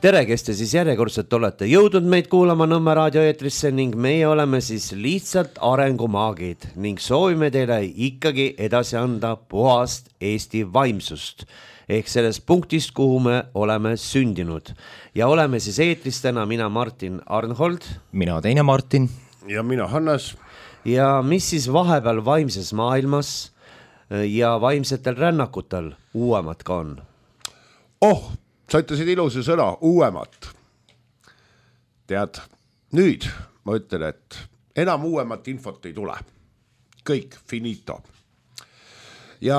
Tere, kes te siis järjekordselt olete jõudnud meid kuulama Nõmme raadioeetrisse ning meie oleme siis lihtsalt arengumaagid ning soovime teile ikkagi edasi anda puhast Eesti vaimsust ehk sellest punktist, kuhu me oleme sündinud. Ja oleme siis eetris täna mina Martin Arnhold. Mina teine Martin. Ja mina Hannes. Ja mis siis vahepeal vaimses maailmas ja vaimsetel rännakutel uuemat ka on? Sa ütlesid ilusa sõna, uuemat. Tead, nüüd ma ütlen, et enam uuemat infot ei tule. Kõik, finito. Ja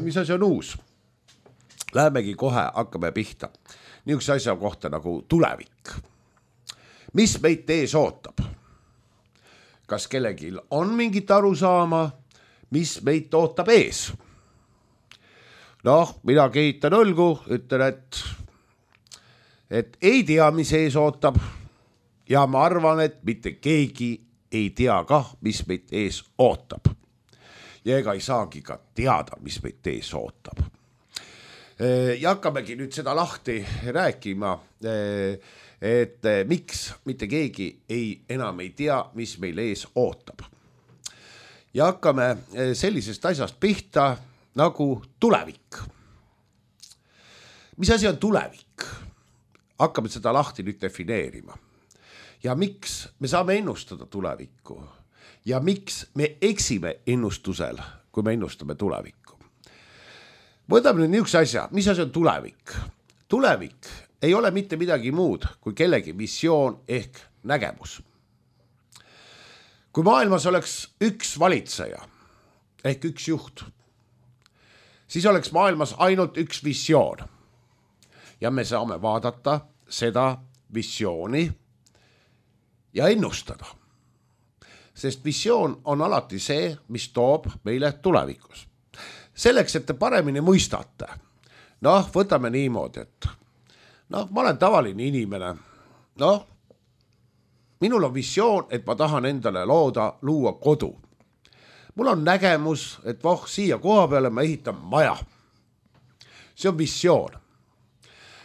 mis asi on uus? Lähemegi kohe, hakkame pihta. Niisuguse asja kohta nagu tulevik. Mis meid ees ootab? Kas kellelgi on mingit arusaama, mis meid ootab ees? Mina kehitan õlgu, ütlen, et ei tea, mis ees ootab ja ma arvan, et mitte keegi ei tea kah, mis meid ees ootab. Ja ega ei saagi ka teada, mis meid ees ootab. Ja hakkamegi nüüd seda lahti rääkima, et miks mitte keegi enam ei tea, mis meil ees ootab. Ja hakkame sellisest asjast pihta, nagu tulevik. Mis asi on tulevik? Hakkame seda lahti nüüd defineerima. Ja miks me saame ennustada tulevikku? Ja miks me eksime ennustusel, kui me ennustame tulevikku? Võtame nüüd niisuguse asja. Mis asi on tulevik? Tulevik ei ole mitte midagi muud kui kellegi visioon ehk nägemus. Kui maailmas oleks üks valitseja ehk üks juht, siis oleks maailmas ainult üks visioon. Ja me saame vaadata seda visiooni ja ennustada. Sest visioon on alati see, mis toob meile tulevikus. Selleks, et te paremini mõistate. Võtame niimoodi, et ma olen tavaline inimene. Minul on visioon, et ma tahan endale luua kodu. Mul on nägemus, et siia koha peale ma ehitan maja. See on visioon.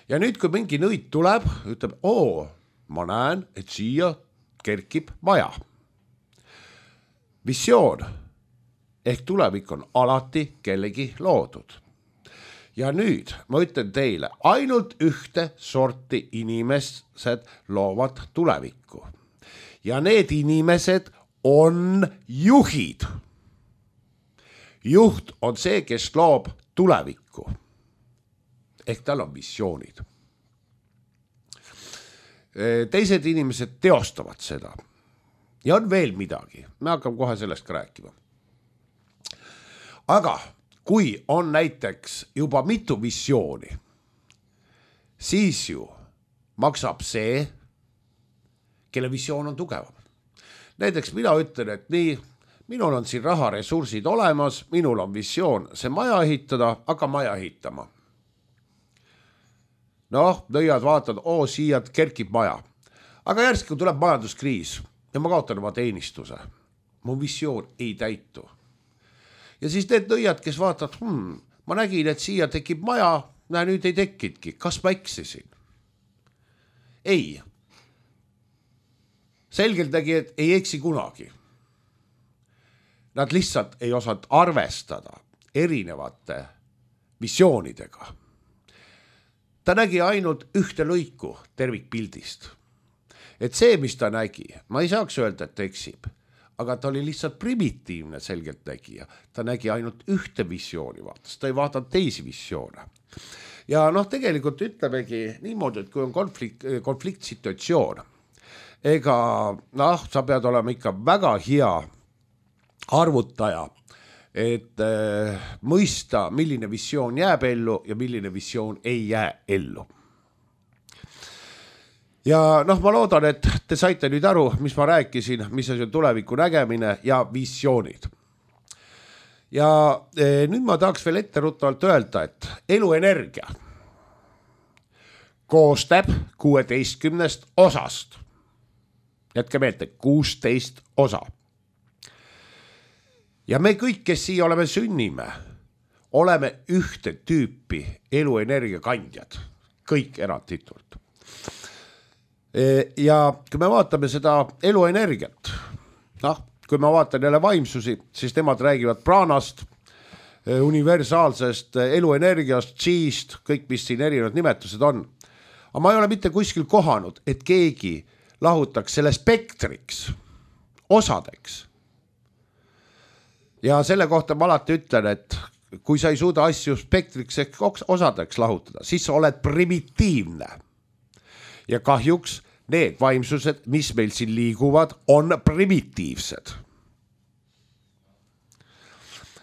Ja nüüd, kui mingi nõid tuleb, ütleb, ma näen, et siia kerkib maja. Visioon ehk tulevik on alati kellegi loodud. Ja nüüd ma ütlen teile, ainult ühte sorti inimesed loovad tulevikku. Ja need inimesed on juhid. Juht on see, kes loob tulevikku. Ehk tal on visioonid. Teised inimesed teostavad seda. Ja on veel midagi. Me hakkame kohe sellest ka rääkima. Aga kui on näiteks juba mitu visiooni, siis ju maksab see, kelle visioon on tugevam. Näiteks mina ütlen, et nii, minul on siin raharesursid olemas, minul on visioon see maja ehitada, hakka maja ehitama. Nõiad vaatad, siia kerkib maja. Aga järsku tuleb majanduskriis ja ma kaotan oma teenistuse. Mu visioon ei täitu. Ja siis need nõiad, kes vaatad, ma nägin, et siia tekib maja, nüüd ei tekidki. Kas ma eksisin? Ei. Selgelt nägi, et ei eksi kunagi. Nad lihtsalt ei osanud arvestada erinevate visioonidega. Ta nägi ainult ühte lõiku tervikpildist. Et see, mis ta nägi, ma ei saaks öelda, et ta eksib, aga ta oli lihtsalt primitiivne selgelt nägija. Ta nägi ainult ühte visiooni vaatas, ta ei vaadanud teisi visioone. Ja tegelikult ütlemegi niimoodi, et kui on konfliktsituatsioon, ega sa pead olema ikka väga hea arvutaja, et mõista, milline visioon jääb ellu ja milline visioon ei jää ellu. Ja ma loodan, et te saite nüüd aru, mis ma rääkisin, mis on tuleviku nägemine ja visioonid. Ja nüüd ma tahaks veel etteruttavalt öelda, et eluenergia koostab 16 osast. Jätke meelde, 16 osa. Ja me kõik, kes siia oleme sünnime, oleme ühte tüüpi eluenergia kandjad. kõik eranditult. Ja kui me vaatame seda eluenergiat, kui ma vaatan jälle vaimsusi, siis nemad räägivad praanast, universaalsest eluenergiast, G-st, kõik, mis siin erinevad nimetused on. Aga ma ei ole mitte kuskil kohanud, et keegi lahutaks selle spektriks, osadeks. Ja selle kohta ma alati ütlen, et kui sa ei suuda asju spektriks ehk osadeks lahutada, siis sa oled primitiivne. Ja kahjuks need vaimsused, mis meil siin liiguvad, on primitiivsed.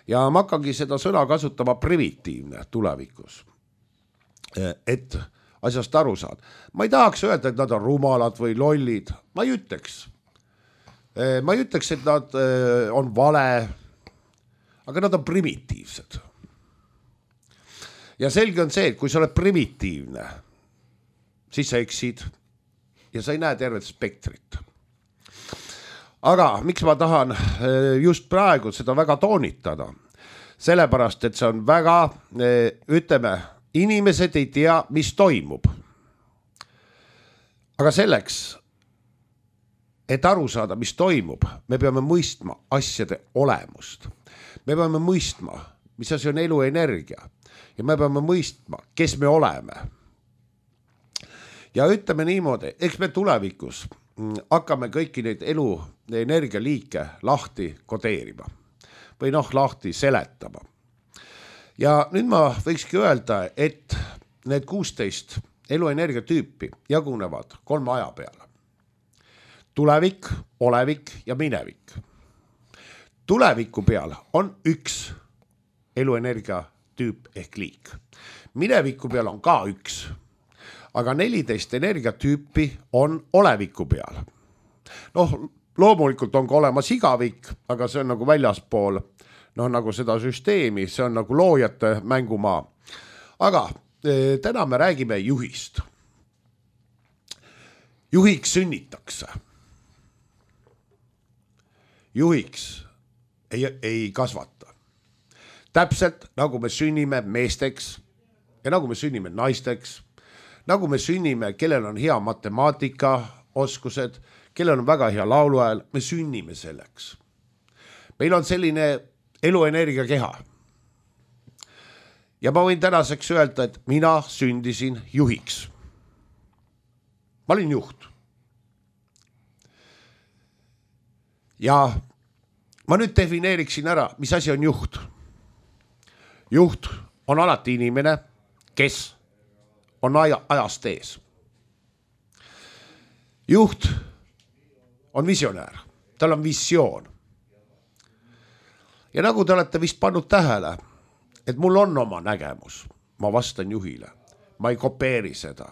Ja ma hakkangi seda sõna kasutama primitiivne tulevikus, et asjast aru saad. Ma ei tahaks öelda, et nad on rumalad või lollid, ma ei ütleks, et nad on vale, aga nad on primitiivsed. Ja selge on see, et kui sa oled primitiivne, siis sa eksid ja sa ei näe tervet spektrit. Aga miks ma tahan just praegu seda väga toonitada? Sellepärast, et see on väga, ütleme, inimesed ei tea, mis toimub. Aga selleks, et aru saada, mis toimub, me peame mõistma asjade olemust. Me peame mõistma, mis asi on eluenergia. Ja me peame mõistma, kes me oleme. Ja ütleme niimoodi, eks me tulevikus hakkame kõiki neid eluenergialiike lahti kodeerima või lahti seletama. Ja nüüd ma võikski öelda, et need 16 eluenergia tüüpi jagunevad 3 aja peale. Tulevik, olevik ja minevik. Tuleviku peal on 1 eluenergia tüüp ehk liik. Mineviku peal on ka 1. Aga 14 energiatüüpi on oleviku peal. Loomulikult on ka olemas igavik, aga see on nagu väljaspool, nagu seda süsteemi, see on nagu loojate mängumaa. Aga täna me räägime juhist. Juhiks sünnitakse. Juhiks ei kasvata. Täpselt nagu me sünnime meesteks ja nagu me sünnime naisteks, nagu me sünnime, kellel on hea matemaatika oskused, kellel on väga hea lauluhääl, me sünnime selleks. Meil on selline eluenergia keha. Ja ma võin tänaseks öelda, et mina sündisin juhiks. Ma olin juht. Ja ma nüüd defineeriksin ära, mis asi on juht. Juht on alati inimene, kes on ajast ees. Juht on visionäär, tal on visioon. Ja nagu te olete vist pannud tähele, et mul on oma nägemus, ma vastan juhile, ma ei kopeeri seda.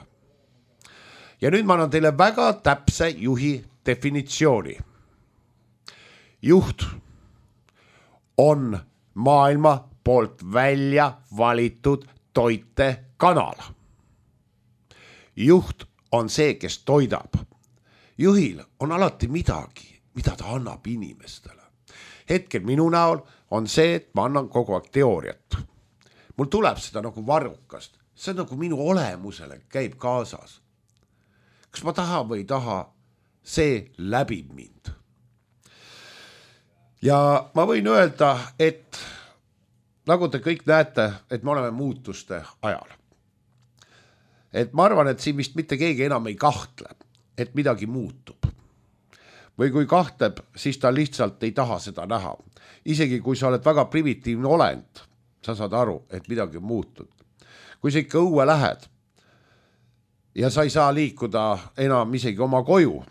Ja nüüd ma annan teile väga täpse juhi definitsiooni. Juht on maailma poolt välja valitud toitekanal. Juht on see, kes toidab. Juhil on alati midagi, mida ta annab inimestele. Hetkel minu näol on see, et ma annan kogu aeg teooriat. Mul tuleb seda nagu varrukast. See on nagu minu olemusele käib kaasas. Kas ma tahan või ei taha, see läbib mind. Ja ma võin öelda, et nagu te kõik näete, et me oleme muutuste ajal. Et ma arvan, et siin vist mitte keegi enam ei kahtle, et midagi muutub. Või kui kahtleb, siis ta lihtsalt ei taha seda näha. Isegi kui sa oled väga primitiivne olend, sa saad aru, et midagi on muutud. Kui sa ikka õue lähed ja sa ei saa liikuda enam isegi oma koju.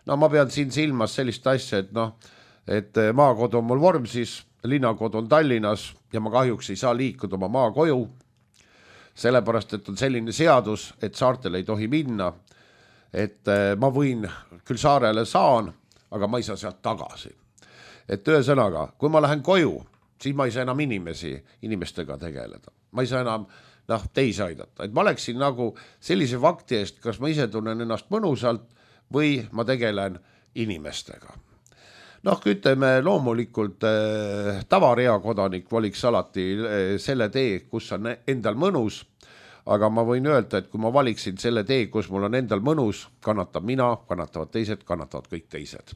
Ma pean siin silmas sellist asja, et maakod on mul Vormsis, linnakod on Tallinnas ja ma kahjuks ei saa liikuda oma maakoju. Sellepärast, et on selline seadus, et saartel ei tohi minna, et ma võin, küll saarele saan, aga ma ei saa sealt tagasi. Et ühesõnaga, kui ma lähen koju, siis ma ei saa enam inimestega tegeleda. Ma ei saa enam teisi aidata. Et ma oleksin nagu sellise fakti eest, kas ma ise tunnen ennast mõnusalt või ma tegelen inimestega. Ütleme loomulikult tavarea kodanik valiks alati selle tee, kus on endal mõnus, aga ma võin öelda, et kui ma valiksin selle tee, kus mul on endal mõnus, kannatab mina, kannatavad teised, kannatavad kõik teised.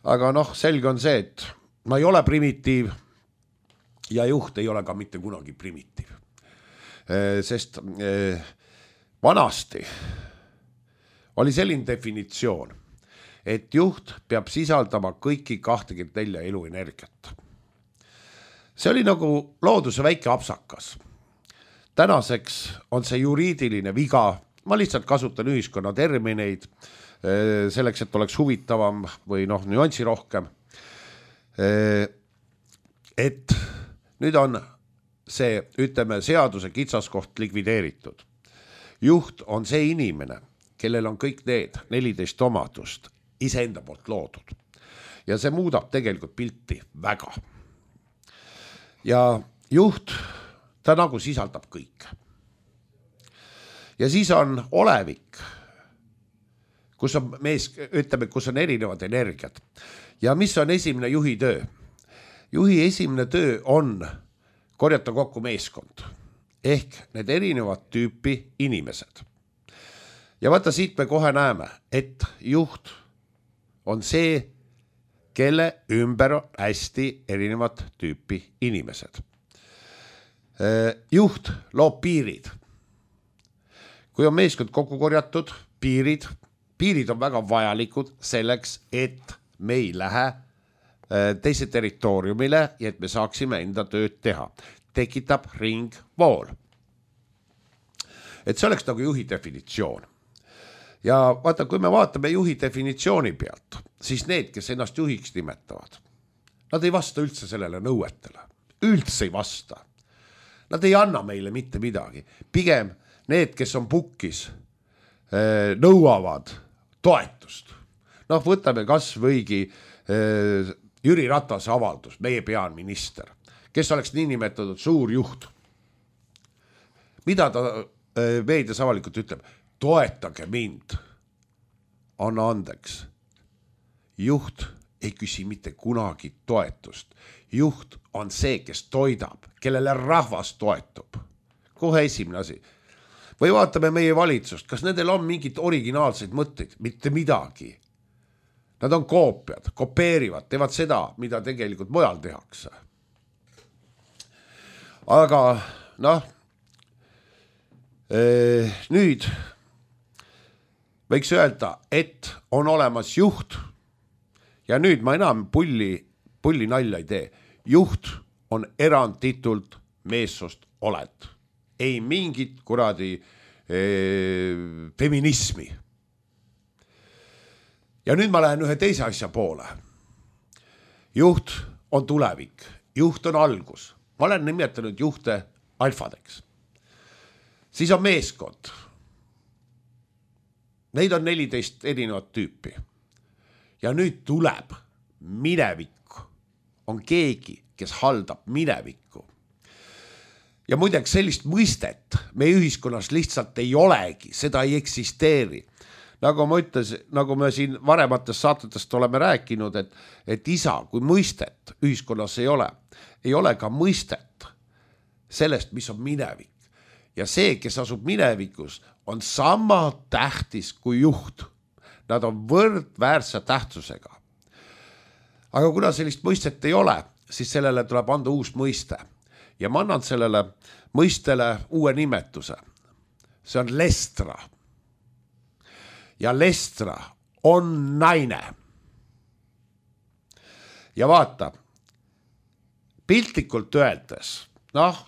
Aga selge on see, et ma ei ole primitiiv ja juht ei ole ka mitte kunagi primitiiv. Sest vanasti oli selline definitsioon, et juht peab sisaldama kõiki 24 eluenergiat. See oli nagu looduse väike apsakas. Tänaseks on see juriidiline viga, ma lihtsalt kasutan ühiskonna termineid selleks, et oleks huvitavam või nüansi rohkem. Et nüüd on see, ütleme, seaduse kitsaskoht likvideeritud. Juht on see inimene, kellel on kõik need 14 omadust iseenda poolt loodud. Ja see muudab tegelikult pilti väga. Ja juht, ta nagu sisaldab kõik. Ja siis on olevik, kus on kus on erinevad energiat. Ja mis on esimene juhi töö? Juhi esimene töö on korjata kokku meeskond. Ehk need erinevad tüüpi inimesed. Ja vaata, siit me kohe näeme, et juht on see, kelle ümber on hästi erinevat tüüpi inimesed. Juht loob piirid. Kui on meeskond kokku korjatud, piirid on väga vajalikud selleks, et me ei lähe teise territooriumile ja et me saaksime enda tööd teha. Tekitab ringvool. Et see oleks nagu juhi definitsioon. Ja vaata, kui me vaatame juhi definitsiooni pealt, siis need, kes ennast juhiks nimetavad, nad ei vasta üldse sellele nõuetele. Üldse ei vasta. Nad ei anna meile mitte midagi. Pigem need, kes on pukkis, nõuavad toetust. Võtame kas võigi Jüri Ratase avaldus, meie peaminister, kes oleks nii nimetatud suur juht. Mida ta meedias avalikult ütleb? Toetage mind. Anna andeks. Juht ei küsi mitte kunagi toetust. Juht on see, kes toidab, kellele rahvas toetub. Kohe esimene asi. Või vaatame meie valitsust, kas nendel on mingid originaalseid mõtteid? Mitte midagi. Nad on koopiad, kopeerivad, teevad seda, mida tegelikult mujal tehakse. Aga nüüd võiks öelda, et on olemas juht ja nüüd ma enam pulli nalja ei tee. Juht on eranditult meessoost olend. Ei mingit kuradi feminismi. Ja nüüd ma lähen ühe teise asja poole. Juht on tulevik. Juht on algus. Ma olen nimetanud juhte alfadeks. Siis on meeskond. Neid on 14 erinevat tüüpi. Ja nüüd tuleb minevik. On keegi, kes haldab minevikku. Ja muideks sellist mõistet meie ühiskonnas lihtsalt ei olegi. Seda ei eksisteeri. Nagu ma ütlesin, nagu me siin varematest saatetest oleme rääkinud, et isa, kui mõistet ühiskonnas ei ole ka mõistet sellest, mis on minevik. Ja see, kes asub minevikus, on sama tähtis kui juht. Nad on võrdväärse tähtsusega. Aga kuna sellist mõistet ei ole, siis sellele tuleb anda uus mõiste. Ja ma annan sellele mõistele uue nimetuse. See on lestra. Ja lestra on naine. Ja vaata, piltlikult öeldes,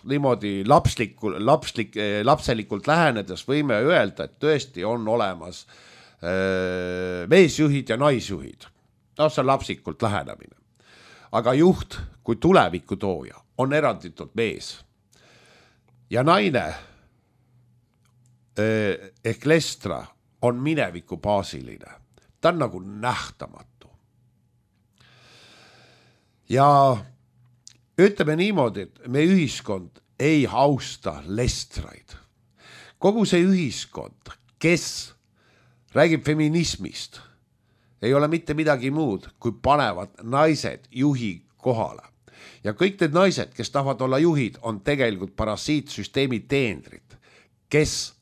niimoodi lapselikult lähenedes võime öelda, et tõesti on olemas meesjuhid ja naisjuhid. See on lapsikult lähenemine. Aga juht kui tuleviku tooja on eranditult mees. Ja naine ehk lestra on mineviku baasiline. Ta on nagu nähtamatu. Ja ütleme niimoodi, et me ühiskond ei austa lestraid. Kogu see ühiskond, kes räägib feminismist, ei ole mitte midagi muud, kui panevad naised juhi kohale. Ja kõik need naised, kes tahavad olla juhid, on tegelikult parasiitsüsteemi teenrid, kes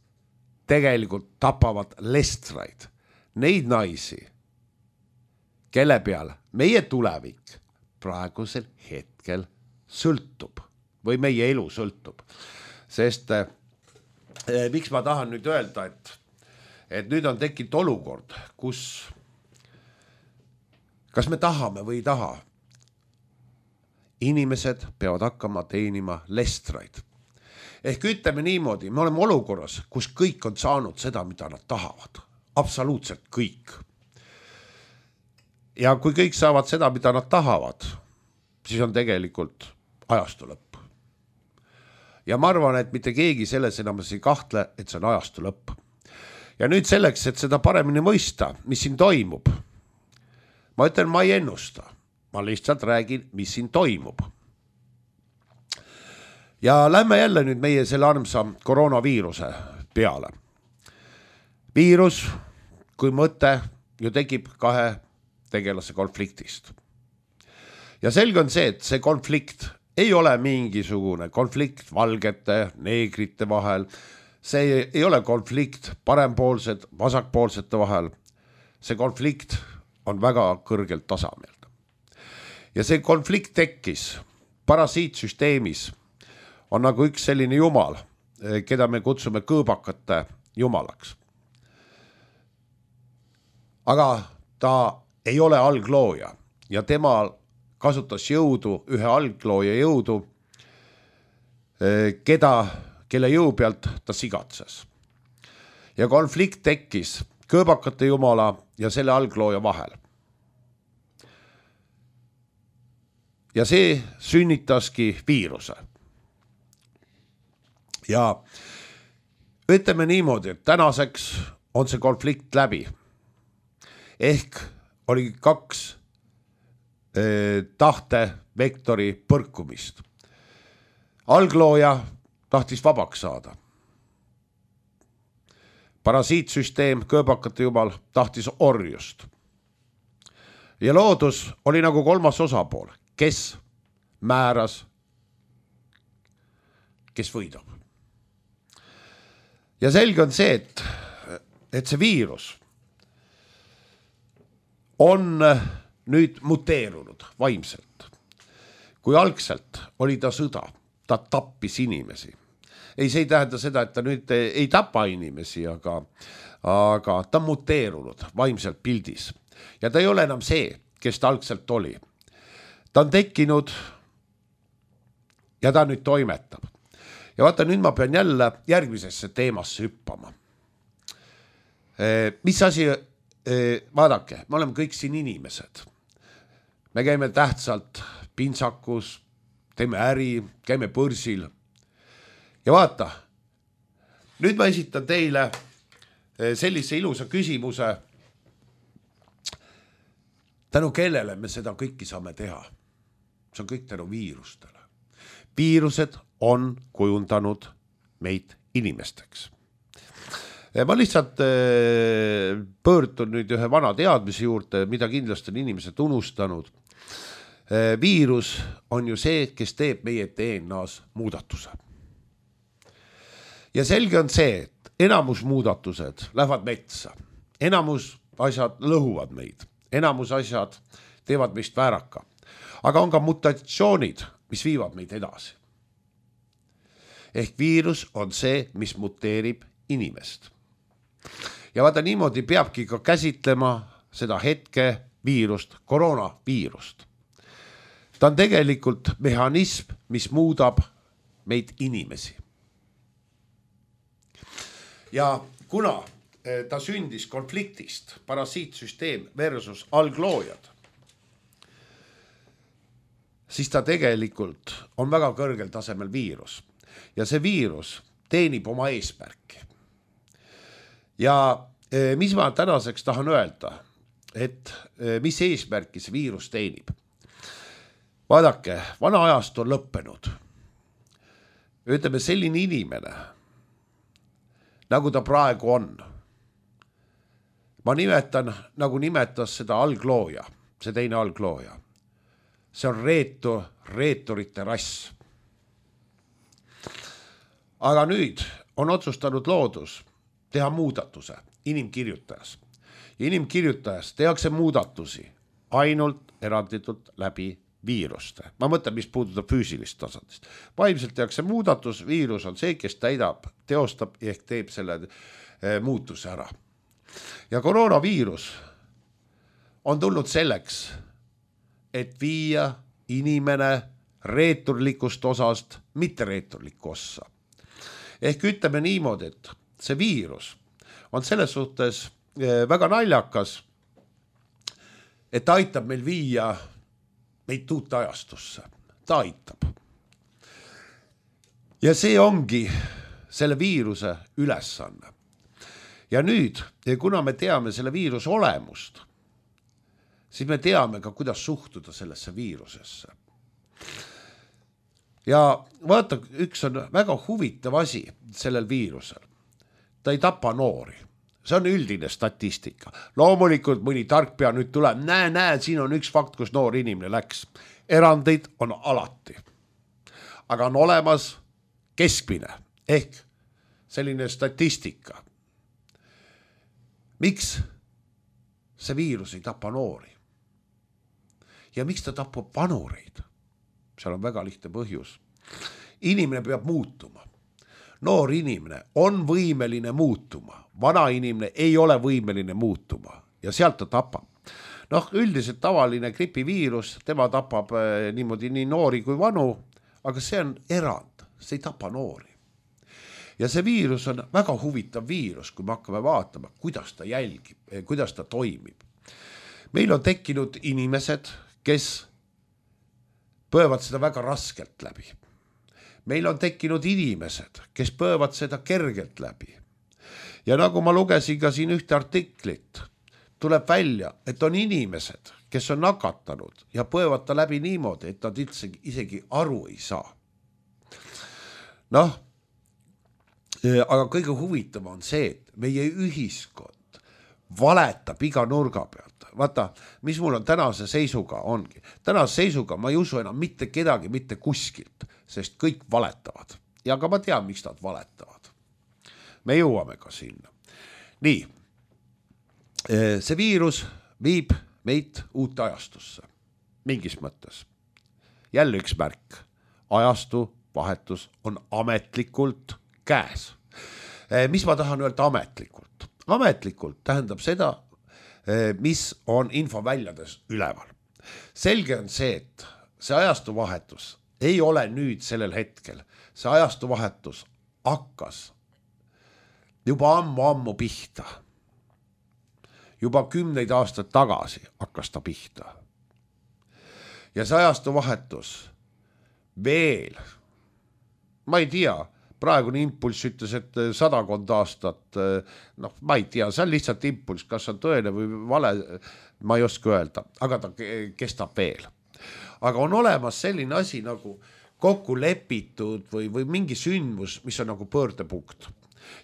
tegelikult tapavad lestraid, neid naisi, kelle peal meie tulevik praegusel hetkel sõltub või meie elu sõltub. Sest miks ma tahan nüüd öelda, et nüüd on tekkinud olukord, kus kas me tahame või ei taha, inimesed peavad hakkama teenima lestraid. Ehk ütleme niimoodi, me oleme olukorras, kus kõik on saanud seda, mida nad tahavad. Absoluutselt kõik. Ja kui kõik saavad seda, mida nad tahavad, siis on tegelikult ajastu lõpp. Ja ma arvan, et mitte keegi selles enam ei kahtle, et see on ajastu lõpp. Ja nüüd selleks, et seda paremini mõista, mis siin toimub, ma ütlen, ma ei ennusta. Ma lihtsalt räägin, mis siin toimub. Ja lähme jälle nüüd meie selle armsa koroonaviiruse peale. Viirus, kui mõte, ju tekib kahe tegelase konfliktist. Ja selge on see, et see konflikt ei ole mingisugune konflikt valgete, neegrite vahel. See ei ole konflikt parempoolsed, vasakpoolsete vahel. See konflikt on väga kõrgelt tasemel. Ja see konflikt tekkis parasiitsüsteemis. On nagu üks selline jumal, keda me kutsume kõõbakate jumalaks. Aga ta ei ole alglooja ja tema kasutas jõudu, ühe alglooja jõudu, kelle jõu pealt ta sigatses. Ja konflikt tekkis kõõbakate jumala ja selle alglooja vahel. Ja see sünnitaski viiruse. Ja ütleme niimoodi, et tänaseks on see konflikt läbi. Ehk oli kaks tahtevektori põrkumist. Alglooja tahtis vabaks saada. Parasiitsüsteem, kõõbakate jumal, tahtis orjust. Ja loodus oli nagu kolmas osapool, kes määras, kes võidab. Ja selge on see, et see viirus on nüüd muteerunud vaimselt. Kui algselt oli ta sõda, ta tappis inimesi. Ei, see ei tähenda seda, et ta nüüd ei tapa inimesi, aga ta on muteerunud vaimselt pildis. Ja ta ei ole enam see, kes ta algselt oli. Ta on tekkinud ja ta nüüd toimetab. Ja vaata, nüüd ma pean jälle järgmisesse teemasse hüppama. Mis asi, vaadake, me oleme kõik siin inimesed. Me käime tähtsalt pintsakus, teeme äri, käime börsil. Ja vaata, nüüd ma esitan teile sellise ilusa küsimuse, tänu kellele me seda kõiki saame teha. See on kõik tänu viirustele. Viirused on kujundanud meid inimesteks. Ma lihtsalt pöördun nüüd ühe vana teadmise juurde, mida kindlasti on inimesed unustanud. Viirus on ju see, kes teeb meie DNA-s muudatuse. Ja selge on see, et enamus muudatused lähevad metsa. Enamus asjad lõhuvad meid. Enamus asjad teevad meist vääraka. Aga on ka mutatsioonid, mis viivad meid edasi. Ehk viirus on see, mis muteerib inimest. Ja vaata, niimoodi peabki ka käsitlema seda hetke viirust, koroonaviirust. Ta on tegelikult mehhanism, mis muudab meid inimesi. Ja kuna ta sündis konfliktist, parasiitsüsteem versus algloojad, siis ta tegelikult on väga kõrgel tasemel viirus. Ja see viirus teenib oma eesmärki. Ja mis ma tänaseks tahan öelda, et mis eesmärki see viirus teenib? Vaadake, vana ajast on lõppenud. Ütleme, selline inimene, nagu ta praegu on. Ma nimetan, nagu nimetas seda alglooja, see teine alglooja. See on reeturite rass. Aga nüüd on otsustanud loodus teha muudatuse inimkirjutajas. Inimkirjutajas tehakse muudatusi ainult eranditult läbi viiruste. Ma mõtlen, mis puudutab füüsilist tasandist. Vaimselt tehakse muudatus, viirus on see, kes teostab ehk teeb selle muutuse ära. Ja koroonaviirus on tulnud selleks, et viia inimene reeturlikust osast mitte reeturlikku ossa. Ehk ütleme niimoodi, et see viirus on selles suhtes väga naljakas, et ta aitab meil viia meid uut ajastusse. Ta aitab. Ja see ongi selle viiruse ülesanne. Ja nüüd, kuna me teame selle viiruse olemust, siis me teame ka, kuidas suhtuda sellesse viirusesse. Ja vaata, üks on väga huvitav asi sellel viirusel. Ta ei tapa noori. See on üldine statistika. Loomulikult mõni tarkpea nüüd tuleb, näe, siin on üks fakt, kus noor inimene läks. Erandeid on alati. Aga on olemas keskmine ehk selline statistika. Miks see viirus ei tapa noori? Ja miks ta tapab vanureid? Seal on väga lihtne põhjus. Inimene peab muutuma. Noor inimene on võimeline muutuma. Vana inimene ei ole võimeline muutuma. Ja sealt ta tapab. Üldiselt tavaline gripiviirus, tema tapab niimoodi nii noori kui vanu, aga see on erand. See ei tapa noori. Ja see viirus on väga huvitav viirus, kui me hakkame vaatama, kuidas ta jälgib, kuidas ta toimib. Meil on tekkinud inimesed, kes põevad seda väga raskelt läbi. Meil on tekkinud inimesed, kes põevad seda kergelt läbi. Ja nagu ma lugesin ka siin ühte artiklit, tuleb välja, et on inimesed, kes on nakatanud ja põevad ta läbi niimoodi, et nad isegi aru ei saa. Aga kõige huvitav on see, et meie ühiskond valetab iga nurga pealt. Vaata, mis mul on tänase seisuga ongi. Tänase seisuga ma ei usu enam mitte kedagi, mitte kuskilt, sest kõik valetavad. Ja ka ma tean, miks nad valetavad. Me jõuame ka sinna. Nii, see viirus viib meid uut ajastusse. Mingis mõttes. Jälle üks märk. Ajastu vahetus on ametlikult käes. Mis ma tahan öelda ametlikult? Ametlikult tähendab seda, mis on infoväljades üleval. Selge on see, et see ajastuvahetus ei ole nüüd sellel hetkel. See ajastuvahetus hakkas juba ammu pihta. Juba 10 aastat tagasi hakkas ta pihta. Ja see ajastuvahetus veel, ma ei tea, praegune impulss ütles, et 100 aastat, ma ei tea, see on lihtsalt impulss, kas on tõene või vale, ma ei oska öelda, aga ta kestab veel. Aga on olemas selline asi nagu kokku lepitud või mingi sündmus, mis on nagu pöördepunkt.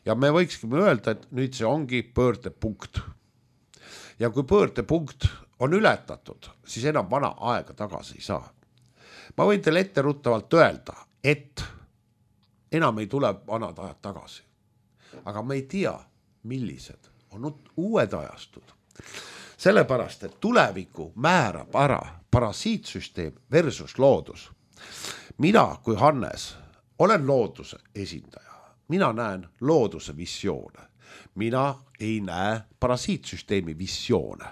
Ja me võikskime öelda, et nüüd see ongi pöördepunkt. Ja kui pöördepunkt on ületatud, siis enam vana aega tagasi ei saa. Ma võin teile etteruttavalt öelda, et enam ei tule vanad ajad tagasi. Aga me ei tea, millised on uued ajastud. Sellepärast, et tuleviku määrab ära parasiitsüsteem versus loodus. Mina kui Hannes olen looduse esindaja. Mina näen looduse visioone. Mina ei näe parasiitsüsteemi visioone.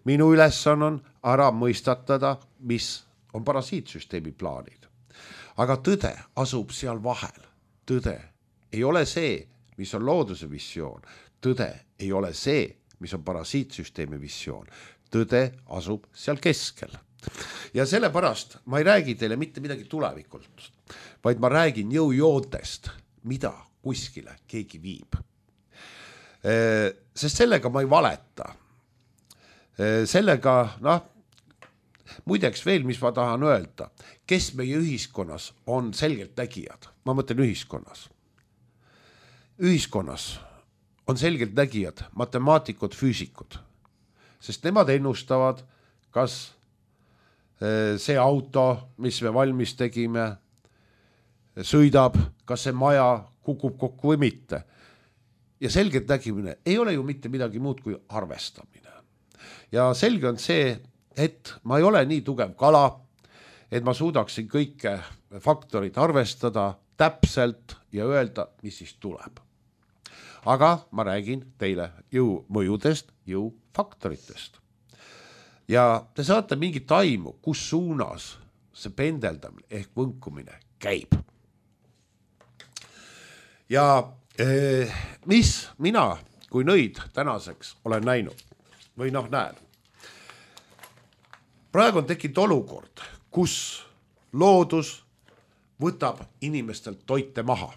Minu ülesanne on ära mõistatada, mis on parasiitsüsteemi plaanid. Aga tõde asub seal vahel. Tõde ei ole see, mis on looduse visioon. Tõde ei ole see, mis on parasiitsüsteemi visioon. Tõde asub seal keskel. Ja sellepärast ma ei räägi teile mitte midagi tulevikult, vaid ma räägin jõujoontest, mida kuskile keegi viib. Sest sellega ma ei valeta. Sellega, muideks veel, mis ma tahan öelda, kes meie ühiskonnas on selgelt nägijad. Ma mõtlen ühiskonnas. Ühiskonnas on selgelt nägijad, matemaatikud, füüsikud. Sest nemad ennustavad, kas see auto, mis me valmis tegime, sõidab, kas see maja kukub kokku või mitte. Ja selgelt nägimine ei ole ju mitte midagi muud kui arvestamine. Ja selge on see, et ma ei ole nii tugev kala, et ma suudaksin kõike faktorid arvestada täpselt ja öelda, mis siis tuleb. Aga ma räägin teile jõumõjudest, jõufaktoritest. Ja te saate mingit aimu, kus suunas see pendeldamine ehk võnkumine käib. Ja mis mina kui nõid tänaseks olen näinud või näen. Praegu on tekkinud olukord, kus loodus võtab inimestelt toite maha.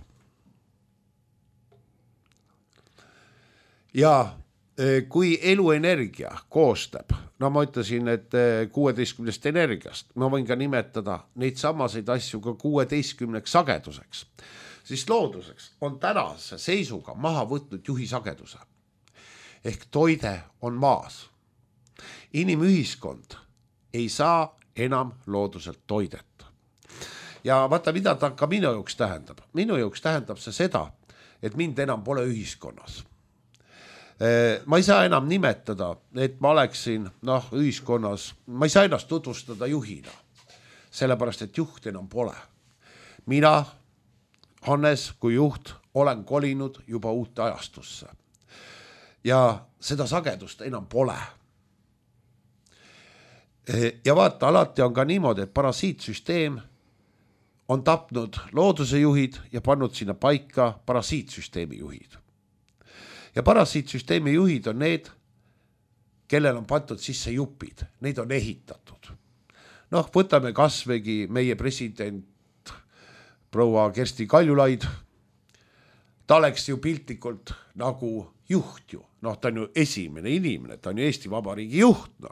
Ja kui eluenergia koostab, ma ütlesin, et 16 energiast, ma võin ka nimetada neid samaseid asju ka 16 sageduseks, siis looduseks on tänase seisuga maha võtnud juhi sageduse. Ehk toide on maas. Inimühiskond ei saa enam looduselt toidet. Ja vaata, mida ta ka minu jaoks tähendab. Minu jaoks tähendab see seda, et mind enam pole ühiskonnas. Ma ei saa enam nimetada, et ma oleksin ühiskonnas, ma ei saa ennast tutvustada juhina, sellepärast, et juht enam pole. Mina, Hannes, kui juht, olen kolinud juba uute ajastusse. Ja seda sagedust enam pole. Ja vaata, alati on ka niimoodi, et parasiitsüsteem on tapnud looduse juhid ja pannud sinna paika parasiitsüsteemi juhid. Ja parasiitsüsteemi juhid on need, kellel on pandud sisse jupid. Neid on ehitatud. Võtame kasvõigi meie president proua Kersti Kaljulaid. Ta oleks ju piltlikult nagu juht ju. Ta on ju esimene inimene, ta on ju Eesti Vabariigi juht.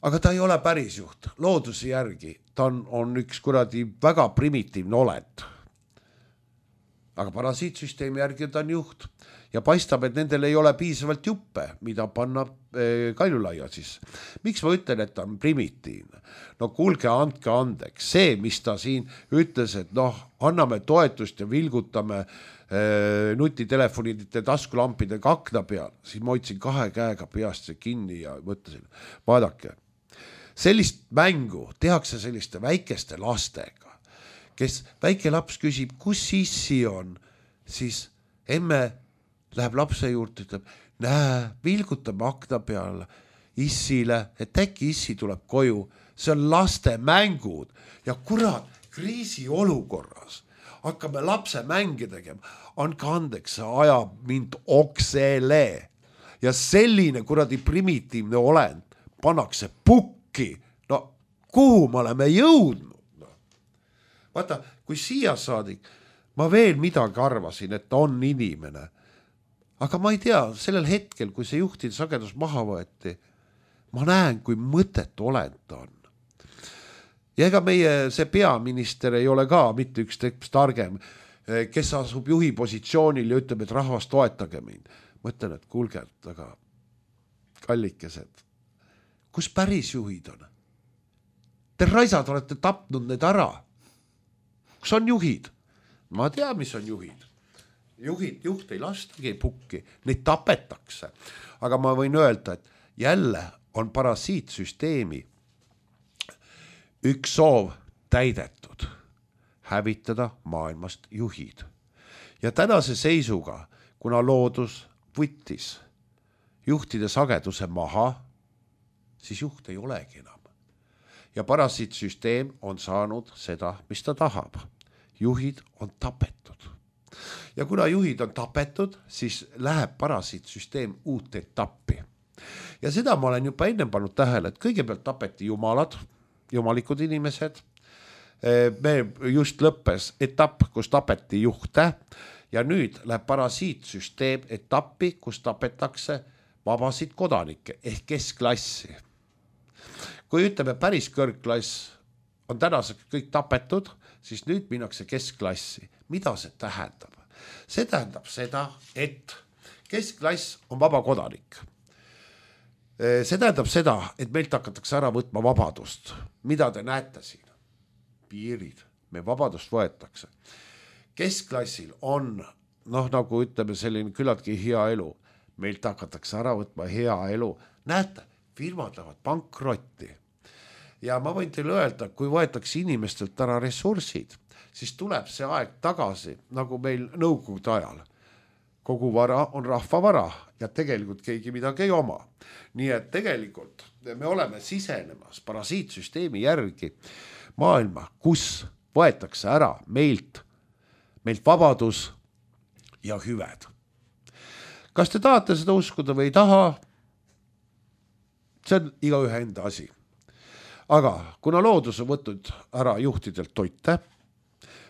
Aga ta ei ole päris juht. Looduse järgi ta on üks kuradi väga primitiivne olend. Aga parasiitsüsteemi järgi ta on juht ja paistab, et nendel ei ole piisavalt juppe, mida panna Kaljulaia siis. Miks ma ütlen, et ta on primitiivne? Kuulge, andke andeks. See, mis ta siin ütles, et anname toetust ja vilgutame nutitelefonide taskulampidega akna peal, siis ma hoidsin 2 käega peast see kinni ja mõtlesin, vaadake, sellist mängu tehakse selliste väikeste lastega, kes väike laps küsib, kus issi on, siis emme läheb lapse juurde, ütleb, vilgutame akna peale issile, et äkki issi tuleb koju. See on laste mängud ja kurat, kriisi olukorras hakkame lapse mänge tegema. Andke andeks, see ajab mind oksele ja selline kuradi primitiivne olend pannakse pukki. Kuhu me oleme jõudnud? Vaata, kui siia saadik, ma veel midagi arvasin, et ta on inimene. Aga ma ei tea, sellel hetkel, kui see juhtide sagedus maha võeti, ma näen, kui mõttetu olend ta on. Ja ega meie see peaminister ei ole ka mitte üks targem, kes asub juhi positsioonil ja ütleb, et rahvas toetage mind. Mõtlen, et kuulge, aga kallikesed, kus päris juhid on? Te raisad olete tapnud need ära. Kus on juhid? Ma tean, mis on juhid. Juht ei lastagi pukki, neid tapetakse. Aga ma võin öelda, et jälle on parasiitsüsteemi üks soov täidetud. Hävitada maailmast juhid. Ja tänase seisuga, kuna loodus võttis juhtide sageduse maha, siis juht ei olegi enam. Ja parasiitsüsteem on saanud seda, mis ta tahab. Juhid on tapetud. Ja kuna juhid on tapetud, siis läheb parasiitsüsteem uut etappi. Ja seda ma olen juba enne pannud tähele, et kõigepealt tapeti jumalad, jumalikud inimesed. Me just lõppes etapp, kus tapeti juhte ja nüüd läheb parasiitsüsteem etappi, kus tapetakse vabasid kodanikke ehk keskklassi. Kui ütleme päris kõrgklass on tänaseks kõik tapetud, siis nüüd minnakse keskklassi. Mida see tähendab? See tähendab seda, et keskklass on vaba kodanik. See tähendab seda, et meilt hakatakse ära võtma vabadust. Mida te näete siin? piirid, me vabadust võetakse. Keskklassil on, nagu ütleme, selline küllaltki hea elu. Meilt hakatakse ära võtma hea elu. Näete, firmad lähevad pankrotti. Ja ma võin teile öelda, kui võetakse inimestelt ära ressursid, siis tuleb see aeg tagasi, nagu meil nõukogude ajal. Kogu vara on rahva vara ja tegelikult keegi midagi ei oma. Nii et tegelikult me oleme sisenemas parasiitsüsteemi järgi maailma, kus võetakse ära meilt vabadus ja hüved. Kas te tahate seda uskuda või ei taha? See on igaühe enda asi. Aga kuna loodus on võtnud ära juhtidelt toite,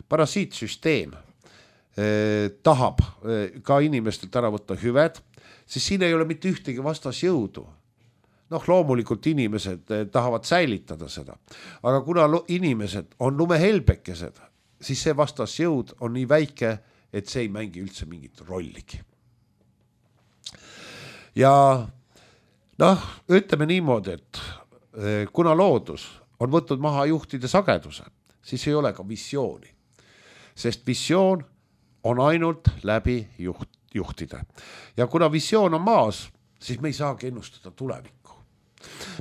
parasiitsüsteem tahab ka inimestelt ära võtta hüved, siis siin ei ole mitte ühtegi vastasjõudu. Loomulikult inimesed tahavad säilitada seda. Aga kuna inimesed on lumehelbekesed, siis see vastasjõud on nii väike, et see ei mängi üldse mingit rolligi. Ja ütleme niimoodi, et kuna loodus on võtnud maha juhtide sageduse, siis ei ole ka visiooni. Sest visioon on ainult läbi juhtide. Ja kuna visioon on maas, siis me ei saagi ennustada tulevikku.